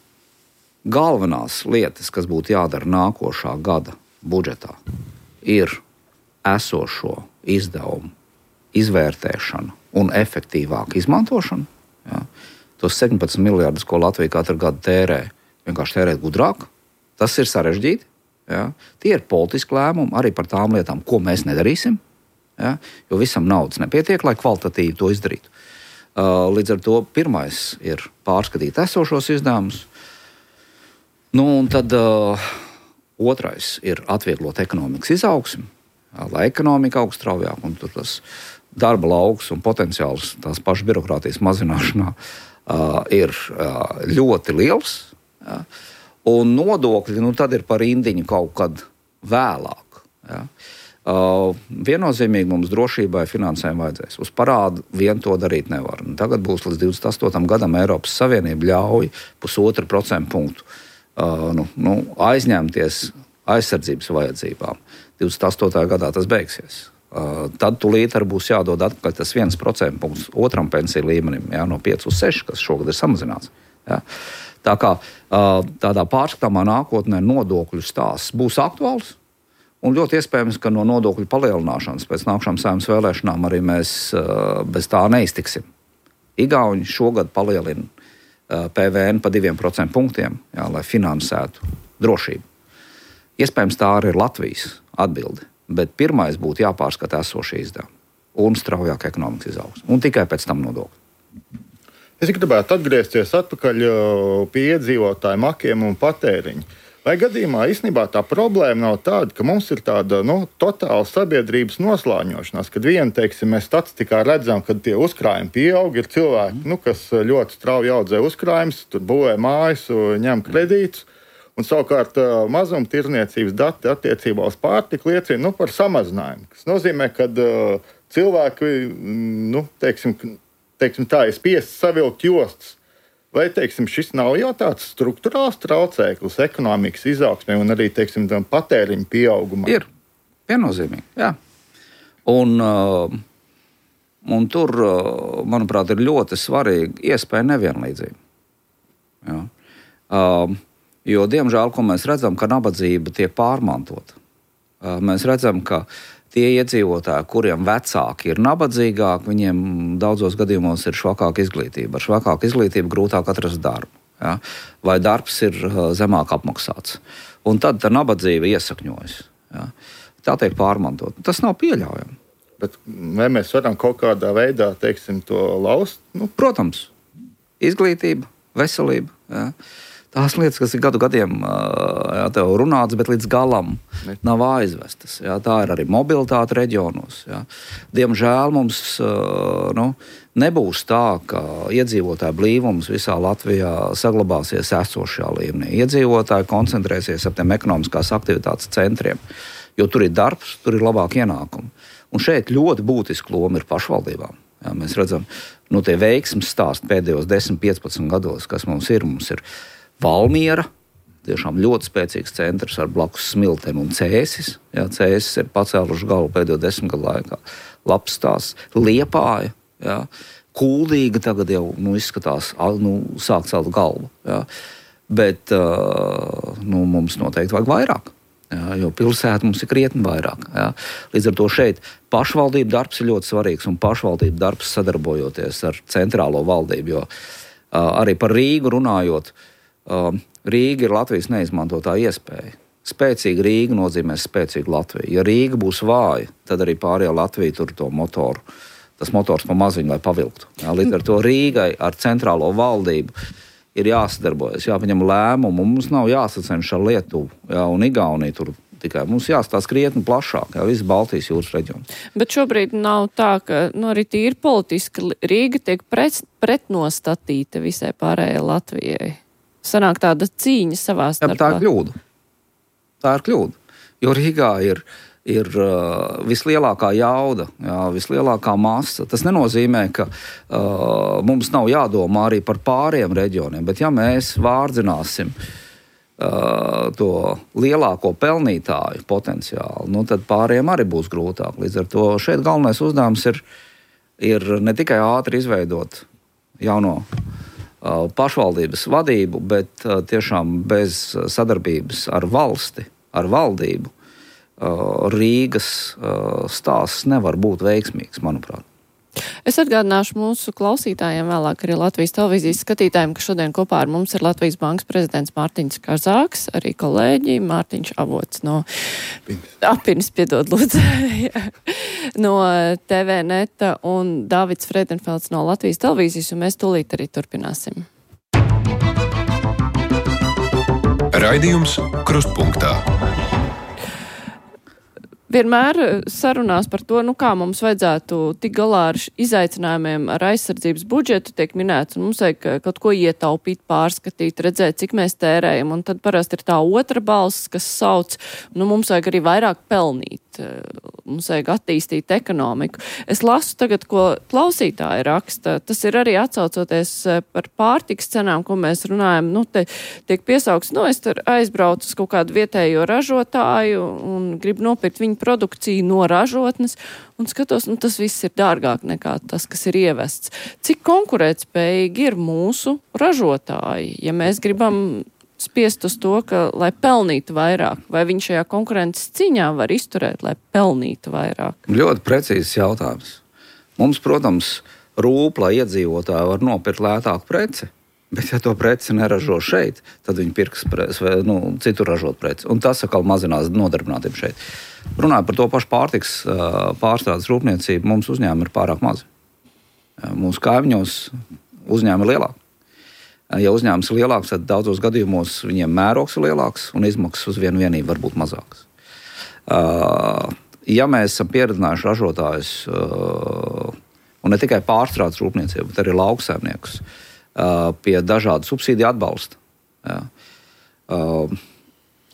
Galvenās lietas, kas būtu jādara nākošā gada budžetā, ir esošo izdevumu izvērtēšana un efektīvāka izmantošana. Ja. Tos septiņpadsmit miljardus, ko Latvija katru gadu tērē, vienkārši tērēt gudrāk. Tas ir sarežģīti. Ja. Tie ir politiski lēmumi arī par tām lietām, ko mēs nedarīsim. Ja. Jo visam naudas nepietiek, lai kvalitatīvi to izdarītu. Līdz ar to pirmais ir pārskatīt esošos izdevumus. Nu, un tad uh, otrais ir atvieglot ekonomikas izaugsmi, lai ekonomika augst straujāk, un tur tas darba lauks un potenciāls tās pašas birokrātijas mazināšanā uh, ir uh, ļoti liels. Ja? Un nodokļi, nu, tad ir par indiņu kaut kad vēlāk. Ja? Uh, viennozīmīgi mums drošībai finansējumu vajadzēs. Uz parādu vien to darīt nevar. Un tagad būs līdz divdesmit astotam gadam Eiropas Savienība ļauj pusotru procentu punktu. Uh, nu, nu, aizņemties aizsardzības vajadzībām. divdesmit astotajā gadā tas beigsies. Uh, tad tūlīt arī būs jādod atpakaļ tas viens procents punkts otram pensiju līmenim, jā, no pieci uz seši, kas šogad ir samazināts. Jā. Tā kā uh, tādā pārskatāmā nākotnē nodokļu stāsts būs aktuāls, un ļoti iespējams, ka no nodokļu palielināšanas pēc nākamajām Saeimas vēlēšanām arī mēs uh, bez tā neiztiksim. Igauni šogad palielina P V N pa diviem procentu punktiem, jā, lai finansētu drošību. Iespējams, tā arī ir Latvijas atbilde, bet pirmais būtu jāpārskata esošie izdevumi un straujāk ekonomikas izaugsme, un tikai pēc tam nodokļi. Es gribētu atgriezties atpakaļ pie iedzīvotāju makiem un patēriņu. Vai gadījumā īstenībā tā problēma nav tāda, ka mums ir tāda nu, totāla sabiedrības noslāņošanās, kad vien, teiksim, mēs statistikā redzam, ka tie uzkrājumi pieaug, ir cilvēki, nu, kas ļoti strauji audzē uzkrājumus, tur būvē mājas, ņem kredītus, un savukārt mazumtirniecības dati attiecībā uz pārtiku liecina nu, par samazinājumu, kas nozīmē, ka uh, cilvēki, nu, teiksim, teiksim tā, ir spiests savilkt jostas. Vai, teiksim, šis nav jau tāds struktūrāls traucēklis ekonomikas izaugsmē un arī, teiksim, patēriņa pieaugumā? Ir. Viennozīmīgi, jā. Un, uh, un tur, uh, manuprāt, ir ļoti svarīga iespēja nevienlīdzība. Jā. Uh, jo, diemžēl, ko mēs redzam, ka nabadzība tiek pārmantota. Uh, mēs redzam, ka tie iedzīvotāji, kuriem vecāki ir nabadzīgāki, viņiem daudzos gadījumos ir švakāka izglītība. Ar švakāku izglītību grūtāk atrast darbu. Ja? Vai darbs ir zemāk apmaksāts. Un tad tā nabadzība iesakņojas. Ja? Tā tiek pārmantot. Tas nav pieļaujami. Bet vai mēs varam kaut kādā veidā, teiksim, to laust? Nu? Protams. Izglītība, veselība. Ja? tās lietas, kas ir gadu gadiem jā, tev runāts, bet līdz galam nav aizvestas. Jā, tā ir arī mobilitāte reģionos. Jā. Diemžēl mums nu, nebūs tā, ka iedzīvotāju blīvums visā Latvijā saglabāsies esošajā līmenī. Iedzīvotāji koncentrēsies ap tiem ekonomiskās aktivitātes centriem, jo tur ir darbs, tur ir labāk ienākumi. Un šeit ļoti būtiska loma ir pašvaldībām. Jā, mēs redzam, nu, tie veiksmes stāsti pēdējos desmit, piecpadsmit gados, kas mums ir. Mums ir Valmiera, tiešām ļoti spēcīgs centrs ar blakus Smilteni un Cēsis. Jā, Cēsis ir pacēluši galvu pēdējo desmit gadu laikā. Labs stāsts. Liepāja, jā. Kuldīga tagad jau nu, izskatās, nu, sāk celt galvu. Jā. Bet uh, nu, mums noteikti vajag vairāk. Jā, jo pilsēta mums ir krietni vairāk. Jā. Līdz ar to šeit pašvaldību darbs ir ļoti svarīgs un pašvaldību darbs sadarbojoties ar centrālo valdību. Jo uh, arī par Rīgu runājot, uh, Rīga ir Latvijas neizmantotā iespēja. Spēcīga Rīga nozīmē spēcīgu Latviju. Ja Rīga būs vāja, tad arī pārējā Latvija tur to motoru, tas motors pa maziņu, lai pavilktu. Jā. Līdz ar to Rīgai ar centrālo valdību ir jāsadarbojas, jāpaņem lēmumu, mums nav jāsacenš ar Lietuvu, jā, un Igauniju tur tikai. Mums jāstāsta krietni plašāk, jā, viss Baltijas jūras reģions. Bet šobrīd nav tā, ka, nu, arī tīri politiski Rīga tiek pret, pretnostatīta visai pārējai Latvijai. Sanāk tāda cīņa savā starpā. Jā, tā ir kļūda. Tā ir kļūda, jo Rīgā ir ir uh, vislielākā jauda, jā, vislielākā masa. Tas nenozīmē, ka uh, mums nav jādomā arī par pāriem reģioniem, bet ja mēs vārdzināsim uh, to lielāko pelnītāju potenciālu, nu, tad pāriem arī būs grūtāk. Līdz ar to šeit galvenais uzdevums ir, ir ne tikai ātri izveidot jauno uh, pašvaldības vadību, bet uh, tiešām bez sadarbības ar valsti, ar valdību, Rīgas stāsts nevar būt veiksmīgs, manuprāt. Es atgādināšu mūsu klausītājiem, vēlāk arī Latvijas televīzijas skatītājiem, ka šodien kopā ar mums ir Latvijas bankas prezidents Mārtiņš Kazāks, arī kolēģi Mārtiņš Avots no Apinis, piedod lūdzu, no T V Neta un Dāvids Friedenfelds no Latvijas televīzijas, un mēs tūlīt arī turpināsim. Raidījums Krustpunktā. Vienmēr sarunās par to, nu kā mums vajadzētu tik galā ar izaicinājumiem ar aizsardzības budžetu tiek minēts, un mums vajag kaut ko ietaupīt, pārskatīt, redzēt, cik mēs tērējam, un tad parasti ir tā otra balss, kas sauc, nu mums vajag arī vairāk pelnīt, mums vajag attīstīt ekonomiku. Es lasu tagad, ko klausītāji raksta, tas ir arī atsaucoties par pārtikas cenām, ko mēs runājam, nu te tiek piesaukts, nu es tur aizbraucu uz kaut kādu vietējo ražotāju un gribu nopirkt viņu produkciju no ražotnes un skatos, nu tas viss ir dārgāk nekā tas, kas ir ievests. Cik konkurētspējīgi ir mūsu ražotāji, ja mēs gribam spiest uz to, ka, lai pelnītu vairāk, vai viņš šajā konkurences cīņā var izturēt, lai pelnītu vairāk? Ļoti precīzs jautājums. Mums, protams, rūp, lai iedzīvotāji var nopirkt lētāku preci, bet ja to preci neražo šeit, tad viņi pirks preci, vai nu, citur ražot preci. Un tas atkal mazinās nodarbinātību šeit. Runājot par to pašu pārtiks pārstrādes rūpniecību, mums uzņēmumi ir pārāk mazi. Mūsu kaimiņos uzņēmumi ir lielāki. Ja uzņēmums ir lielāks, tad daudzos gadījumos viņiem mērogs ir lielāks un izmaksas uz vienu vienību var būt mazākas. Ja mēs esam pieredzinājuši ražotājus, un ne tikai pārstrādes rūpniecību, bet arī lauksaimniekus, pie dažādu subsīdiju atbalsta, ja,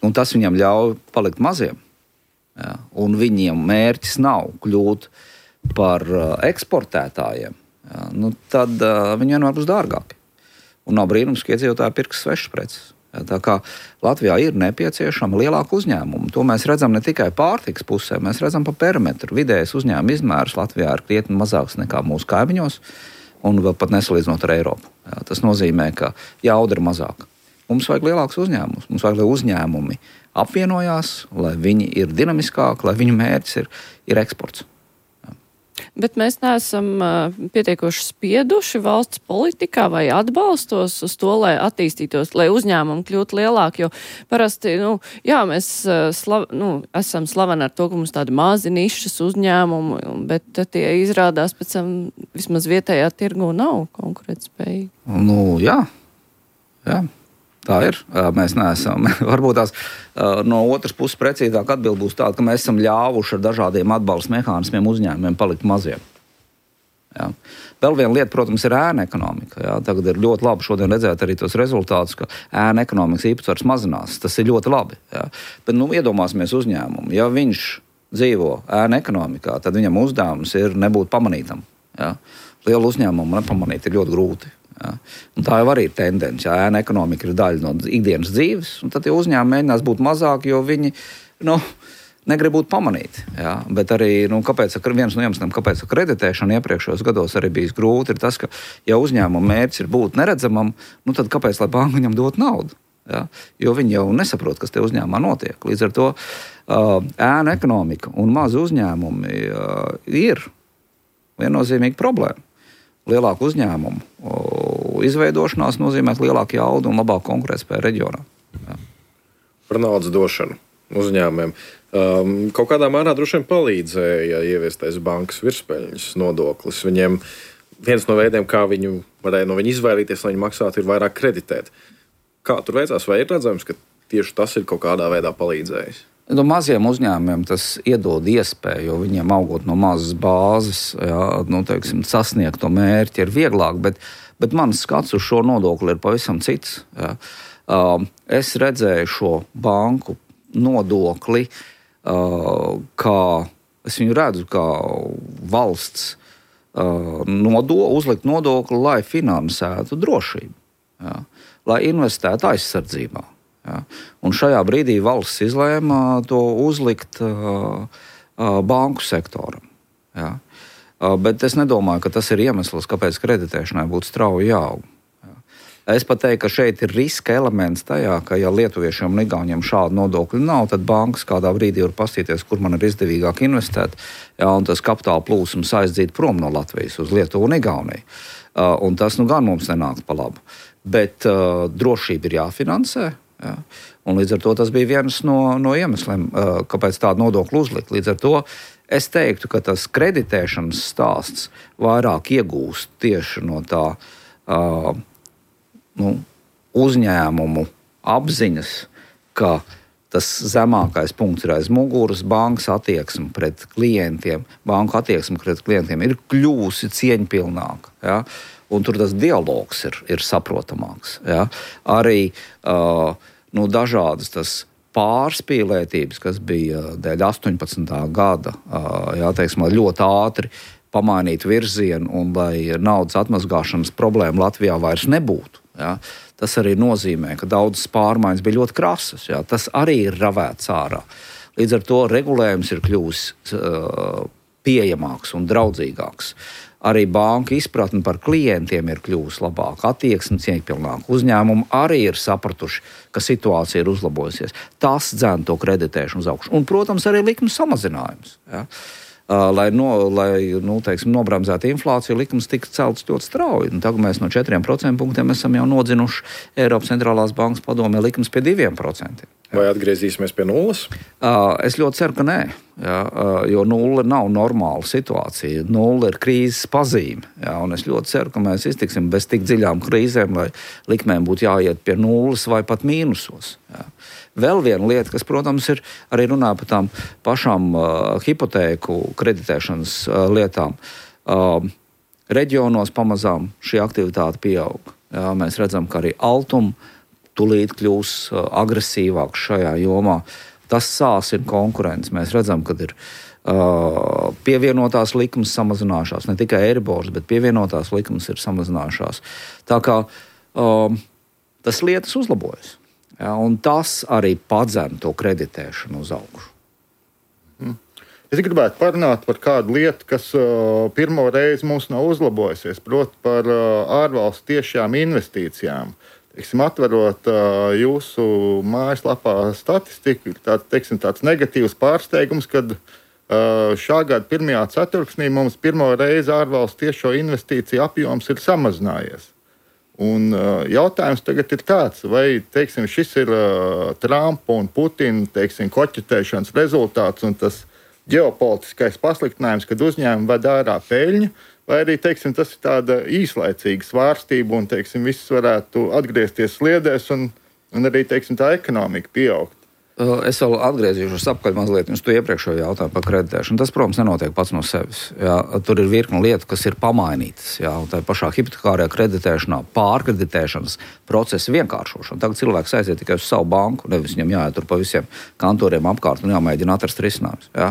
un tas viņam ļauj palikt maziem, ja, un viņiem mērķis nav kļūt par eksportētājiem, ja, nu, tad viņi vienmēr būs dārgāki. Un nav brīnums, ka iedzīvotāji pirks svešas preces. Tā kā Latvijā ir nepieciešama lielāka uzņēmuma. To mēs redzam ne tikai pārtikas pusē, mēs redzam pa perimetru. Vidējais uzņēmuma izmērs Latvijā ir krietni mazāks nekā mūsu kaimiņos un vēl pat nesalīdzinot ar Eiropu. Jā, tas nozīmē, ka jauda ir mazāka. Mums vajag lielāks uzņēmums. Mums vajag, lai uzņēmumi apvienojās, lai viņi ir dinamiskāki, lai viņu mērķis ir, ir eksports. Bet mēs neesam uh, pietiekoši spieduši valsts politikā vai atbalstos uz to, lai attīstītos, lai uzņēmumi kļūtu lielāki, jo parasti, nu, jā, mēs uh, slav, nu, esam slaveni ar to, ka mums tādi mazi nišas uzņēmumi, bet tie izrādās pēc tam vismaz vietējā tirgu nav konkurētspējīgi. Nu, jā, jā. Tā ir. Mēs neesam. Varbūt tās no otras puses precīzāk atbild būs tāda, ka mēs esam ļāvuši ar dažādiem atbalsta mehānismiem uzņēmumiem palikt maziem. Jā. Vēl viena lieta, protams, ir ēna ekonomika. Jā. Tagad ir ļoti labi šodien redzēt arī tos rezultātus, ka ēna ekonomikas īpatsvars mazinās. Tas ir ļoti labi. Jā. Bet nu, iedomāsimies uzņēmumu. Ja viņš dzīvo ēna ekonomikā, tad viņam uzdevums ir nebūt pamanītam. Jā. Lielu uzņēmumu nepamanīt ir ļoti grūti. Ja. Tā jau arī ir tendence. Ja ēna ekonomika ir daļa no ikdienas dzīves, un tad tie uzņēmumi mēģinās būt mazāki, jo viņi nu, negrib būt pamanīti. Ja. Bet arī nu, kāpēc, viens no iemesliem, kāpēc kreditēšana iepriekšējos gados arī bijis grūti, ir tas, ka ja uzņēmuma mērķis ir būt neredzamam, nu, tad kāpēc lai banka viņam dot naudu? Ja. Jo viņi jau nesaprot, kas te uzņēmumā notiek. Līdz ar to uh, ēna ekonomika un mazi uzņēmumi uh, ir viennozīmīga problēma. Lielāku uzņēmumu izveidošanās nozīmē lielāku jaudu un labāku konkurētspēju reģionā. Jā. Par naudas došanu uzņēmumiem. Um, kaut kādā mērā droši vien palīdzēja ieviestais bankas virspeļņas nodoklis. Viņiem viens no veidiem, kā viņu varēja no viņa izvairīties, lai viņi maksātu, ir vairāk kreditēt. Kā tur veicās? Vai ir redzams, ka tieši tas ir kaut kādā veidā palīdzējis? No maziem uzņēmumiem tas iedod iespēju, jo viņiem augot no mazas bāzes, jā, nu, teiksim, sasniegt to mērķi ir vieglāk, bet, bet mans skats uz šo nodokli ir pavisam cits. Jā. Es redzēju šo banku nodokli, kā es viņu redzu, kā valsts nodo, uzlikt nodokli, lai finansētu drošību, jā, lai investētu aizsardzībā. Ja. Un šajā brīdī valsts izlēma to uzlikt uh, uh, banku sektoram. Ja. Uh, bet es nedomāju, ka tas ir iemesls, kāpēc kreditēšanai būtu strauji jāaug. Ja. Es pat teiktu, ka šeit ir riska elements tajā, ka ja lietuviešiem un igauniem šādu nodokļu nav, tad bankas kādā brīdī var paskatīties, kur man ir izdevīgāk investēt, ja, un tas kapitāla plūsums aizdīt prom no Latvijas uz Lietuvu un Igauniju. Uh, un tas nu gan mums nenāks pa labu. Bet uh, drošība ir jāfinansē. Ja. Un līdz ar to tas bija viens no, no iemesliem, kāpēc tādu nodokli uzlikt. Līdz ar to es teiktu, ka tas kreditēšanas stāsts vairāk iegūst tieši no tā uh, nu, uzņēmumu apziņas, ka tas zemākais punkts ir aiz muguras, bankas attieksme pret klientiem, banku attieksme pret klientiem ir kļūsi cieņpilnāka. Ja. Un tur tas dialogs ir, ir saprotamāks. Ja. Arī uh, nu, dažādas tas pārspīlētības, kas bija dēļ astoņpadsmitā gada, uh, jā, teiksim, ļoti ātri pamainīt virzienu un lai naudas atmazgāšanas problēma Latvijā vairs nebūtu. Ja. Tas arī nozīmē, ka daudzas pārmaiņas bija ļoti krasas. Ja. Tas arī ir ravēts ārā. Līdz ar to regulējums ir kļuvis uh, pieejamāks un draudzīgāks. Arī banka izpratne par klientiem ir kļuvusi labāka, attieksme cieņpilnāka. Uzņēmumi arī ir sapratuši, ka situācija ir uzlabojusies. Tas dzen to kreditēšanu uz augšu. Un, protams, arī likuma samazinājums. Ja? Lai, no, lai nu, teiksim, nobremzētu inflāciju, likums tika celts ļoti strauji. Un tagad mēs no četriem procentpunktiem esam jau nodzinuši Eiropas centrālās bankas padomē likums pie diviem procentiem. Vai atgriezīsimies pie nulles? Es ļoti ceru, ka nē, ja, jo nulle nav normāla situācija. Nulle ir krīzes pazīme. Ja, un es ļoti ceru, ka mēs iztiksim bez tik dziļām krīzēm, lai likmēm būtu jāiet pie nulles vai pat mīnusos. Ja. Vēl viena lieta, kas, protams, ir arī runā par tām pašām uh, hipotēku kreditēšanas uh, lietām. Uh, reģionos pamazām šī aktivitāte pieaug. Ja, mēs redzam, ka arī Altuma tūlīt kļūs uh, agresīvāks šajā jomā. Tas sāsina konkurenci. Mēs redzam, ka ir uh, pievienotās likmes samazinājušās. Ne tikai Eiribors, bet pievienotās likmes ir samazinājušās. Tā kā uh, tas lietas uzlabojas. Ja, un tas arī padzen to kreditēšanu uz augšu. Hmm. Es gribētu parunāt par kādu lietu, kas uh, pirmo reizi mums nav uzlabojusies, proti par uh, ārvalstu tiešām investīcijām. Teiksim, atverot uh, jūsu mājaslapā statistiku, tāds, teiksim, tāds negatīvs pārsteigums, kad uh, šā gada pirmajā ceturksnī mums pirmo reizi ārvalstu tiešo investīciju apjoms ir samazinājies. Un uh, jautājums tagad ir tāds, vai teiksim, šis ir uh, Trumpa un Putina teiksim, koķetēšanas rezultāts un tas ģeopolitiskais pasliktinājums, kad uzņēmumi ved ārā peļņu, vai arī teiksim, tas ir tāda īslaicīga svārstība un teiksim, viss varētu atgriezties sliedēs un un arī, teiksim, tā ekonomika pieaugt. Es vēl atgriezīšos apkaļ mazliet uz to iepriekšējo jautājumu par kreditēšanu. Tas, protams, nenotiek pats no sevis. Jā. Tur ir virkni lietu, kas ir pamainītas. Jā. Tā pašā hipotekārajā kreditēšanā, pārkreditēšanas procesa vienkāršošana. Tagad cilvēks aiziet tikai uz savu banku, nevis viņam jāiet tur pa visiem kantoriem apkārt un jāmēģina atrast risinājums. Jā.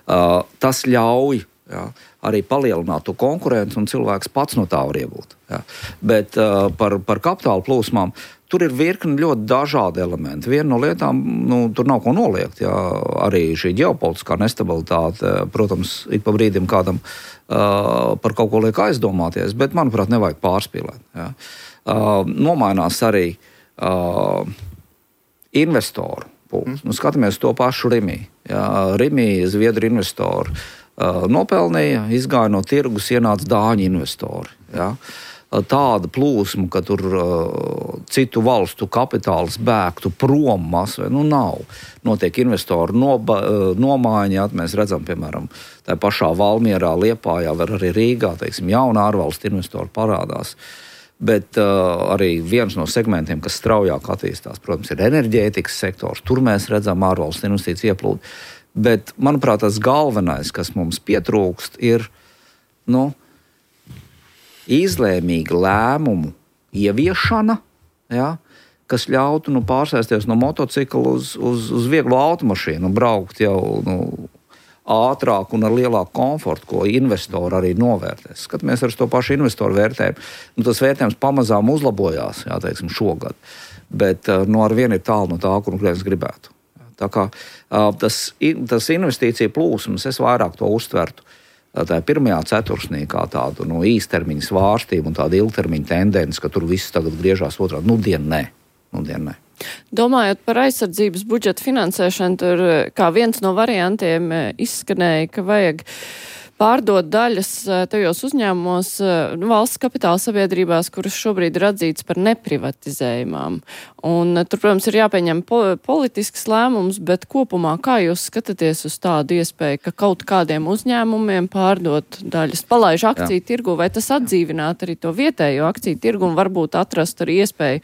Uh, tas ļauj jā, arī palielināt to konkurenci, un cilvēks pats no tā var iegūt. Jā. Bet uh, par, par kapitāla plūsmām tur ir virkni ļoti dažādi elementi. Viena no lietām, nu, tur nav ko noliegt. Jā. Arī šī ģeopolitiskā nestabilitāte, protams, ik pa brīdim kādam uh, par kaut ko liek aizdomāties, bet, manuprāt, nevajag pārspīlēt. Jā. Uh, nomainās arī uh, investoru pūles. Nu, skatāmies to pašu Rimī. Jā. Rimī, Zviedru investori uh, nopelnīja, izgāja no tirgus, ienāca dāņu investori. Jā. Tāda plūsma, ka tur uh, citu valstu kapitāls bēgtu prom masvē, nu nav. Notiek investoru noba, uh, nomaiņa, mēs redzam, piemēram, tā pašā Valmierā, Liepājā, var arī Rīgā, teiksim, jauna ārvalstu investoru parādās. Bet uh, arī viens no segmentiem, kas straujāk attīstās, protams, ir enerģētikas sektors. Tur mēs redzam ārvalstu investīciju ieplūdu. Bet, manuprāt, tas galvenais, kas mums pietrūkst, ir, nu, izlēmīga lēmumu ieviešana, ja, kas ļautu nu, pārsēsties no motocikla uz, uz, uz vieglo automašīnu un braukt jau nu, ātrāk un ar lielāku komfortu, ko investori arī novērtēs. Skatāmies ar to pašu investoru vērtējumu. Nu, tas vērtējums pamazām uzlabojās, jā, teiksim, šogad, bet nu, ar vienu ir tālu no tā, kur klients gribētu. Tā kā tas, tas investīcija plūsums, es vairāk to uztvertu. Tā ir pirmajā ceturksnī kā tādu nu, īstermiņa svārstību un tādu ilgtermiņa tendenci, ka tur viss tagad griežās otrādi. Nu, dien nē. Nu, dien nē. Domājot par aizsardzības budžeta finansēšanu, tur kā viens no variantiem izskanēja, ka vajag pārdot daļas tajos uzņēmumos, nu, valsts kapitāla sabiedrībās, kuras šobrīd ir atzītas par neprivatizējumām. Un tur, protams, ir jāpieņem po politisks lēmums, bet kopumā kā jūs skatāties uz tādu iespēju, ka kaut kādiem uzņēmumiem pārdot daļas, palaiž akciju Jā. tirgu, vai tas atdzīvināt arī to vietējo akciju tirgu un varbūt atrast arī iespēju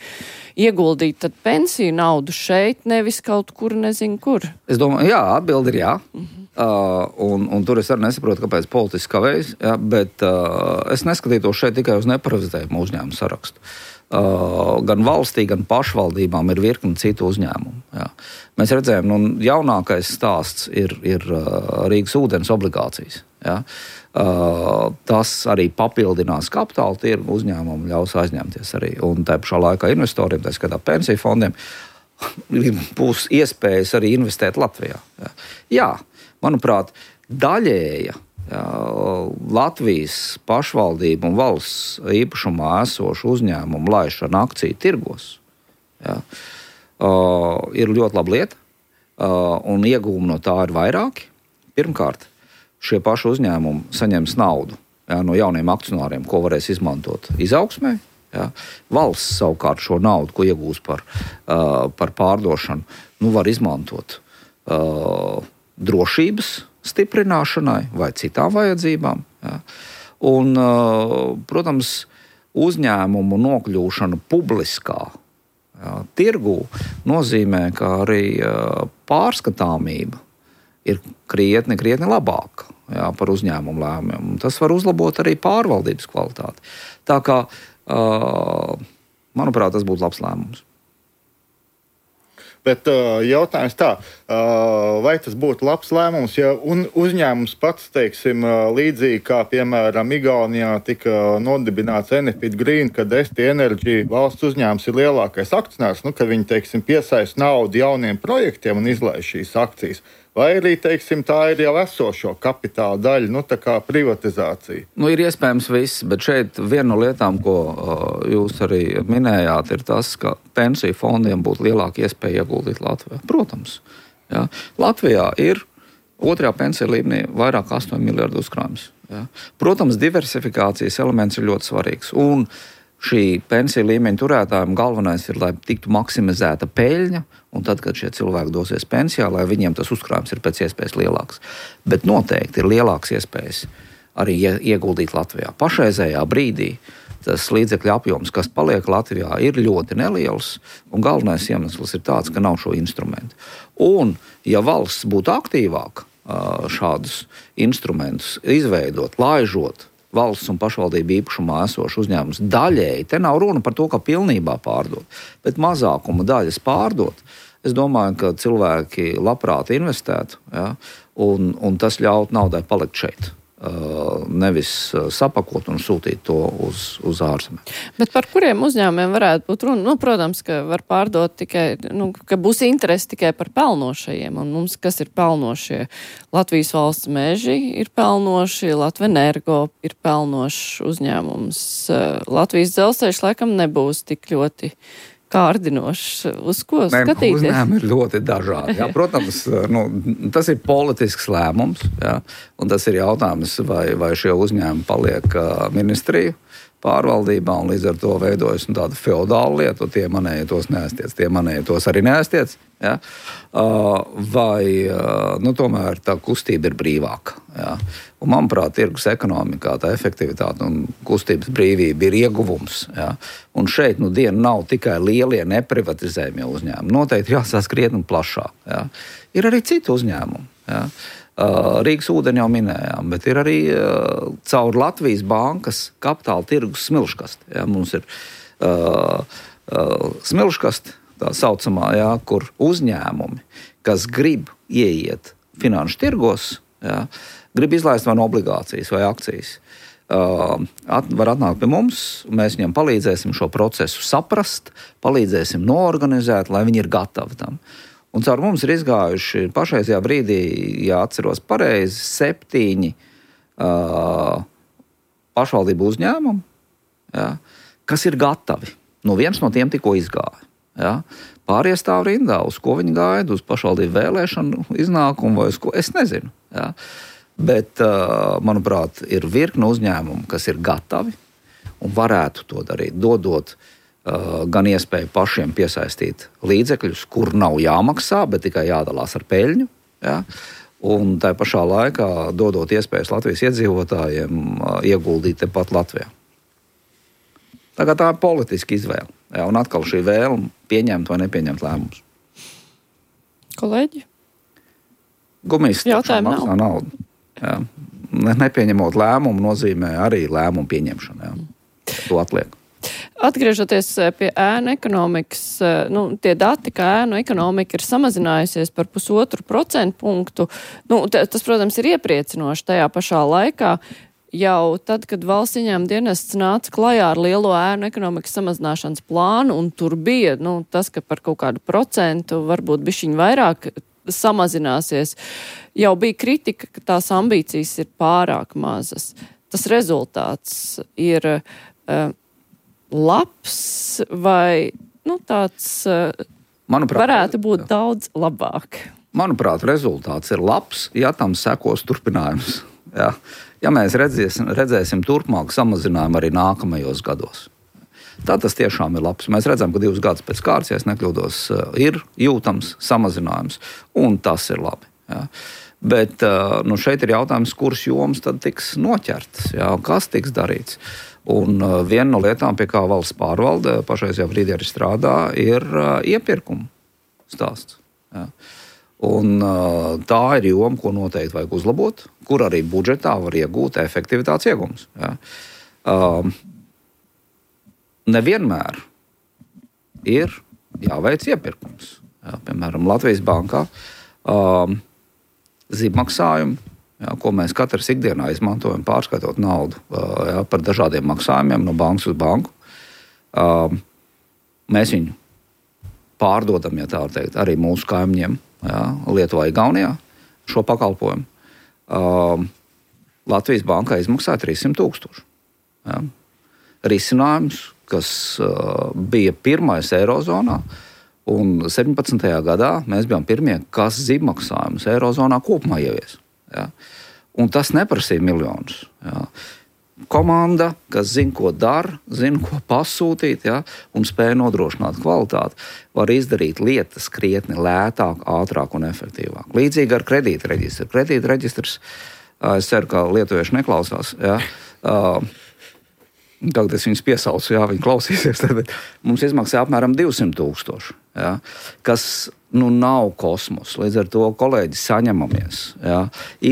ieguldīt tad pensiju naudu šeit, nevis kaut kur, nezinu kur? Es domāju, jā, atbildi ir jā. Mhm. Uh, un, un tur es arī nesaprotu, kāpēc politiski kavējas, ja, bet uh, es neskatītos šeit tikai uz neparazitējumu uzņēmumu sarakstu. Uh, gan valstī, gan pašvaldībām ir virkni citu uzņēmumu. Ja. Mēs redzējām, nu, jaunākais stāsts ir, ir uh, Rīgas ūdens obligācijas. Ja. Uh, tas arī papildinās kapitāla tirgu uzņēmumu, ļaus aizņemties arī. Un tā pašā laikā investoriem, tā skatā pensiju fondiem, būs iespējas arī investēt Latvijā. Ja. Jā. Manuprāt, daļēja jā, Latvijas pašvaldību un valsts īpašumā esošu uzņēmumu laišana akciju tirgos jā, uh, ir ļoti laba lieta, uh, un iegūmi no tā ir vairāki. Pirmkārt, šie paši uzņēmumi saņems naudu jā, no jauniem akcionāriem, ko varēs izmantot izaugsmē. Jā. Valsts savukārt šo naudu, ko iegūs par, uh, par pārdošanu, nu, var izmantot uh, drošības stiprināšanai vai citām vajadzībām. Jā. Un, protams, uzņēmumu nokļūšana publiskā jā, tirgū nozīmē, ka arī pārskatāmība ir krietni, krietni labāka jā, par uzņēmumu lēmumiem. Tas var uzlabot arī pārvaldības kvalitāti. Tā kā, manuprāt, tas būtu labs lēmums. Bet uh, jautājums tā, uh, vai tas būtu labs lēmums, ja un uzņēmums pats, teiksim, uh, līdzīgi kā, piemēram, Igaunijā tika nodibināts Enefit Green, kad S T Energy valsts uzņēmums ir lielākais akcionārs, nu, kad viņi, teiksim, piesaist naudu jauniem projektiem un izlaiž šīs akcijas. Vai arī, teiksim, tā ir jau esošo kapitāla daļa, nu, tā kā privatizācija? Nu, ir iespējams viss, bet šeit viena no lietām, ko uh, jūs arī minējāt, ir tas, ka pensiju fondiem būtu lielāka iespēja ieguldīt Latvijā. Protams, jā. Latvijā ir otrajā pensiju līmenī vairāk astoņu miljardu uzkrājums. Jā. Protams, diversifikācijas elements ir ļoti svarīgs. Un šī pensiju līmeņa turētājiem galvenais ir, lai tiktu maksimizēta peļņa, un tad, kad šie cilvēki dosies pensijā, lai viņiem tas uzkrājums ir pēc iespējas lielāks. Bet noteikti ir lielāks iespējas arī ieguldīt Latvijā. Pašreizējā brīdī tas līdzekļu apjoms, kas paliek Latvijā, ir ļoti neliels, un galvenais iemesls ir tāds, ka nav šo instrumentu. Un, ja valsts būtu aktīvāka šādus instrumentus izveidot, laižot valsts un pašvaldību īpašumā esošu uzņēmumus daļēji, te nav runa par to, ka pilnībā pārdot, bet mazākuma daļas pārdot, es domāju, ka cilvēki labprāt investētu, ja, un, un tas ļaut naudai palikt šeit. Nevis sapakot un sūtīt to uz, uz ārzemēm. Bet par kuriem uzņēmumiem varētu būt runa? Nu, protams, ka var pārdot tikai, nu, ka būs interesi tikai par pelnošajiem, un mums, kas ir pelnošie? Latvijas valsts meži ir pelnoši, Latvenergo ir pelnošs uzņēmums. Latvijas dzelzceļš laikam nebūs tik ļoti kārdinošs. Uz ko Nē, skatīties? Uzņēmumi ir ļoti dažādi. Jā. Protams, nu, tas ir politisks lēmums, jā, un tas ir jautājums, vai, vai šie uzņēmumi paliek ministriju pārvaldībā, un līdz ar to veidojas nu, tāda feodāla lieta, tie manēji tos neaiztiec, tie manēji tos arī neaiztiec. Ja? Vai nu, tomēr tā kustība ir brīvāka. Ja? Un, manuprāt, tirgus ekonomikā tā efektivitāte un kustības brīvība ir ieguvums. Ja? Un šeit nu, diena nav tikai lielie neprivatizējumie uzņēmumi. Noteikti jāsās krietni plašāk. Ja? Ir arī citi uzņēmumi. Ja? Rīgas ūdeni jau minējām, bet ir arī uh, caur Latvijas bankas kapitāla tirgus smilškasti. Ja, mums ir uh, uh, smilškasti, tā saucamā, ja, kur uzņēmumi, kas grib ieiet finanšu tirgos, ja, grib izlaist vai no obligācijas vai akcijas, uh, at, var atnākt pie mums, mēs viņam palīdzēsim šo procesu saprast, palīdzēsim noorganizēt, lai viņi ir gatavi tam. Un caur mums ir izgājuši pašreizajā brīdī, ja atceros pareizi, septiņi uh, pašvaldību uzņēmumi, ja, kas ir gatavi. Nu, viens no tiem tikko izgāja. Ja. Pārējie stāv rindā, uz ko viņi gaida, uz pašvaldību vēlēšanu iznākumu vai uz ko, es nezinu. Ja. Bet, uh, manuprāt, ir virkne uzņēmumu, kas ir gatavi un varētu to darīt, dodot gan iespēju pašiem piesaistīt līdzekļus, kur nav jāmaksā, bet tikai jādalās ar peļņu. Ja? Un tā pašā laikā dodot iespējas Latvijas iedzīvotājiem ieguldīt tepat Latvijā. Tagad tā ir politiska izvēle. Ja? Un atkal šī vēlme pieņemt vai nepieņemt lēmumus. Kolēģi? Gumijas jautājumu maksā nav. naudu. Ja? Nepieņemot lēmumu nozīmē arī lēmumu pieņemšanu. Ja? To atliek. Atgriežoties pie ēnu ekonomikas, nu, tie dati, ka ēnu ekonomika ir samazinājusies par pusotru procentu punktu, nu, tas, protams, ir iepriecinoši tajā pašā laikā. Jau tad, kad valsts ieņēmuma dienests nāca klajā ar lielo ēnu ekonomikas samazināšanas plānu, un tur bija nu, tas, ka par kaut kādu procentu varbūt bišķiņ vairāk samazināsies, jau bija kritika, ka tās ambīcijas ir pārāk mazas. Tas rezultāts ir uh, labs vai nu, tāds Manuprāt, varētu būt jā. Daudz labāk? Manuprāt, rezultāts ir labs, ja tam sekos turpinājums. Ja, ja mēs redzēsim, redzēsim turpmāk samazinājumu arī nākamajos gados. Tā tas tiešām ir labs. Mēs redzam, ka divus gadus pēc kārtas, ja es nekļūdos, ir jūtams samazinājums, un tas ir labi. Ja. Bet nu, šeit ir jautājums, kuras jomas tad tiks noķertas, ja, kas tiks darīts. Un viena no lietām, pie kā valsts pārvalde pašreizajā brīdī arī strādā, ir iepirkuma stāsts. Ja. Un tā ir joma, ko noteikti vajag uzlabot, kur arī budžetā var iegūt efektivitātes iegums. Ja. Um, nevienmēr ir jāveic iepirkums. Ja. Piemēram, Latvijas bankā um, zīmmaksājumi, jā, ko mēs katrs ikdienā izmantojam, pārskaitot naudu jā, par dažādiem maksājumiem no bankas uz banku. Mēs viņu pārdodam, ja tā var teikt, arī mūsu kaimiņiem, jā, Lietuvā, Igaunijā, šo pakalpojumu. Latvijas bankā izmaksāja trīs simt tūkstoši. Jā. Risinājums, kas bija pirmais Eirozonā, un septiņpadsmitajā gadā mēs bijām pirmie, kas zīmmaksājumus Eirozonā kopumā ievies. Ja? Un tas neprasīja miljonus. Ja? Komanda, kas zina, ko dara, zina, ko pasūtīt, ja? Un spēja nodrošināt kvalitāti, var izdarīt lietas krietni lētāk, ātrāk un efektīvāk. Līdzīgi ar kredīta reģistru. Kredīta reģistrs, es ceru, ka lietuvieši neklausās, ja? Tagad es viņus piesaucu, jā, viņi klausīsies. Tad mums izmaksā apmēram divsimt tūkstoši, jā, kas nu nav kosmos. Līdz ar to kolēģi saņemamies, jā,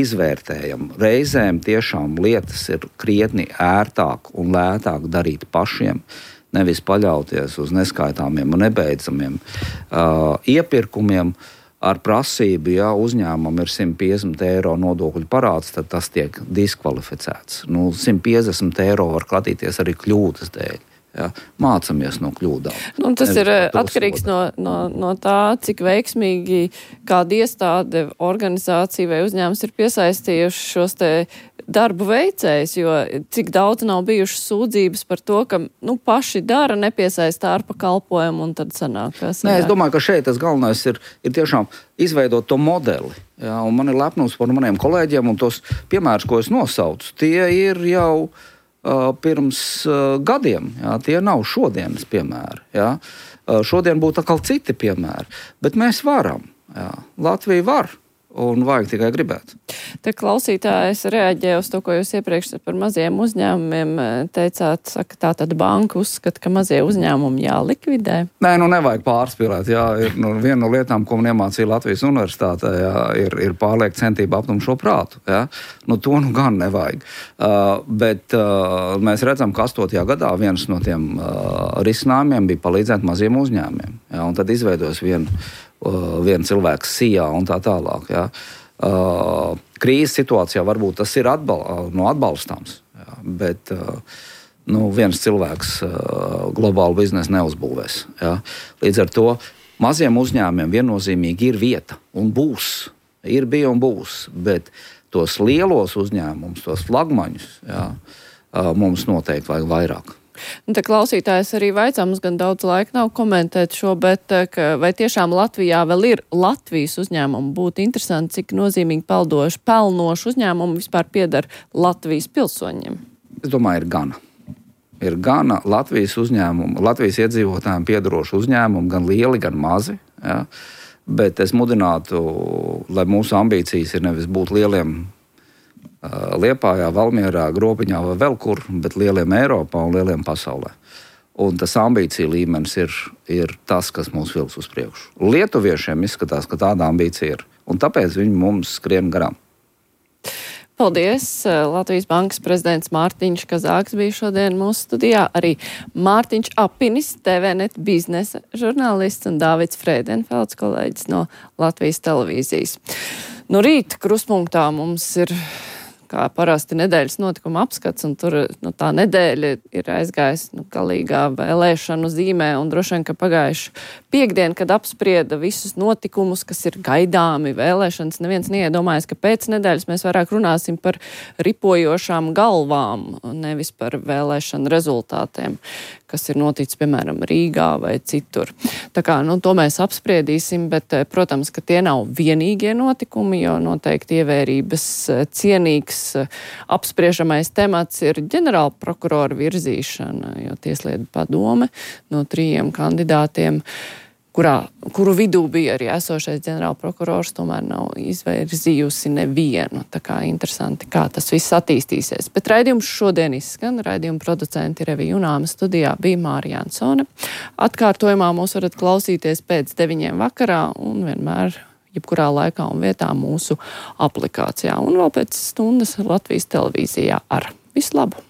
izvērtējam. Reizēm tiešām lietas ir krietni ērtāk un lētāk darīt pašiem, nevis paļauties uz neskaitāmiem un nebeidzamiem uh, iepirkumiem. Ar prasību, ja uzņēmumam ir simt piecdesmit eiro nodokļu parāds, tad tas tiek diskvalificēts. Nu, simt piecdesmit eiro var klatīties arī kļūdas dēļ. Ja? Mācamies no kļūdām. Nu, tas Nevis ir atkarīgs no, no, no tā, cik veiksmīgi kāda iestāde, organizācija vai uzņēmums ir piesaistījuši šos te darbu veicējs, jo cik daudz nav bijušas sūdzības par to, ka nu, paši dara, nepiesaista ārpa kalpojumu un tad sanāk. Nē, es domāju, ka šeit tas galvenais ir, ir tiešām izveidot to modeli. Jā, un man ir lepnums par maniem kolēģiem un tos piemērus, ko es nosaucu, tie ir jau uh, pirms uh, gadiem. Jā, tie nav šodienas piemēri. Jā. Uh, šodien būtu atkal citi piemēri. Bet mēs varam. Jā. Latvija var. Un vajag tikai gribēt. Te klausītājs reaģēja uz to, ko jūs iepriekš par maziem uzņēmumiem teicāt, saka, tā tad banka uzskata, ka mazie uzņēmumi jālikvidē. Nē, nu nevajag pārspīlēt. Jā, ir, nu, viena no lietām, ko man iemācīja Latvijas universitātē, jā, ir, ir pārliek centība aptum šo prātu. Jā. Nu, to nu gan nevajag. Uh, bet uh, mēs redzam, ka astotajā gadā viens no tiem uh, risinājumiem bija palīdzēt maziem uzņēmumiem. Jā, un tad izveidos vienu Uh, viens cilvēks sijā un tā tālāk. Ja. Uh, krīzes situācijā varbūt tas ir atbal, uh, no atbalstāms, ja, bet uh, nu, viens cilvēks uh, globālu biznesu neuzbūvēs. Ja. Līdz ar to maziem uzņēmumiem viennozīmīgi ir vieta un būs, ir bija un būs, bet tos lielos uzņēmumus, tos flagmaņus, ja, uh, mums noteikti vajag vairāk. Un te klausītājs arī vaicā, mums gan daudz laika nav komentēt šo, bet ka, vai tiešām Latvijā vēl ir Latvijas uzņēmumi? Būtu interesanti, cik nozīmīgi peldoši, pelnoši uzņēmumi vispār pieder Latvijas pilsoņiem. Es domāju, ir gana. Ir gana Latvijas uzņēmumu, Latvijas iedzīvotājiem piederošu uzņēmumu, gan lieli, gan mazi. Ja? Bet es mudinātu, lai mūsu ambīcijas ir nevis būt lieliem Liepājā, Valmierā, Grobiņā vai vēl kur, bet lieliem Eiropā un lieliem pasaulē. Un tas ambīcija līmenis ir, ir tas, kas mūs vilks uz priekšu. Lietuviešiem izskatās, ka tāda ambīcija ir, un tāpēc viņi mums skrien garām. Paldies! Latvijas bankas prezidents Mārtiņš Kazāks bija šodien mūsu studijā. Arī Mārtiņš Apinis, T V net biznesa žurnālists un Dāvids Frēdenfelds, kolēģis no Latvijas televīzijas. Nu, rīt kruspunktā mums ir, kā parasti, nedēļas notikuma apskats, un tur nu, tā nedēļa ir aizgājis nu, galīgā vēlēšanu zīmē, un droši vien, ka pagājuši piekdien, kad apsprieda visus notikumus, kas ir gaidāmi vēlēšanas, neviens neiedomājas, ka pēc nedēļas mēs vairāk runāsim par ripojošām galvām, nevis par vēlēšanu rezultātiem, kas ir noticis, piemēram, Rīgā vai citur. Tā kā, nu, to mēs apspriedīsim, bet, protams, ka tie nav vienīgie notikumi, jo noteikti ievērības cienīgs apspriežamais temats ir ģenerāla prokurora virzīšana, jo Tieslietu padome no trījiem kandidātiem, kurā, kuru vidū bija arī esošais ģenerāla prokurors, tomēr nav izvirzījusi nevienu. Tā kā interesanti, kā tas viss attīstīsies. Bet raidījums šodien izskan. Raidījuma producenti Revija Junāma, studijā bija Mārija Ansone. Atkārtojumā mūs varat klausīties pēc deviņiem vakarā un vienmēr jebkurā laikā un vietā mūsu aplikācijā. Un vēl pēc stundas Latvijas televīzijā ar visu labu!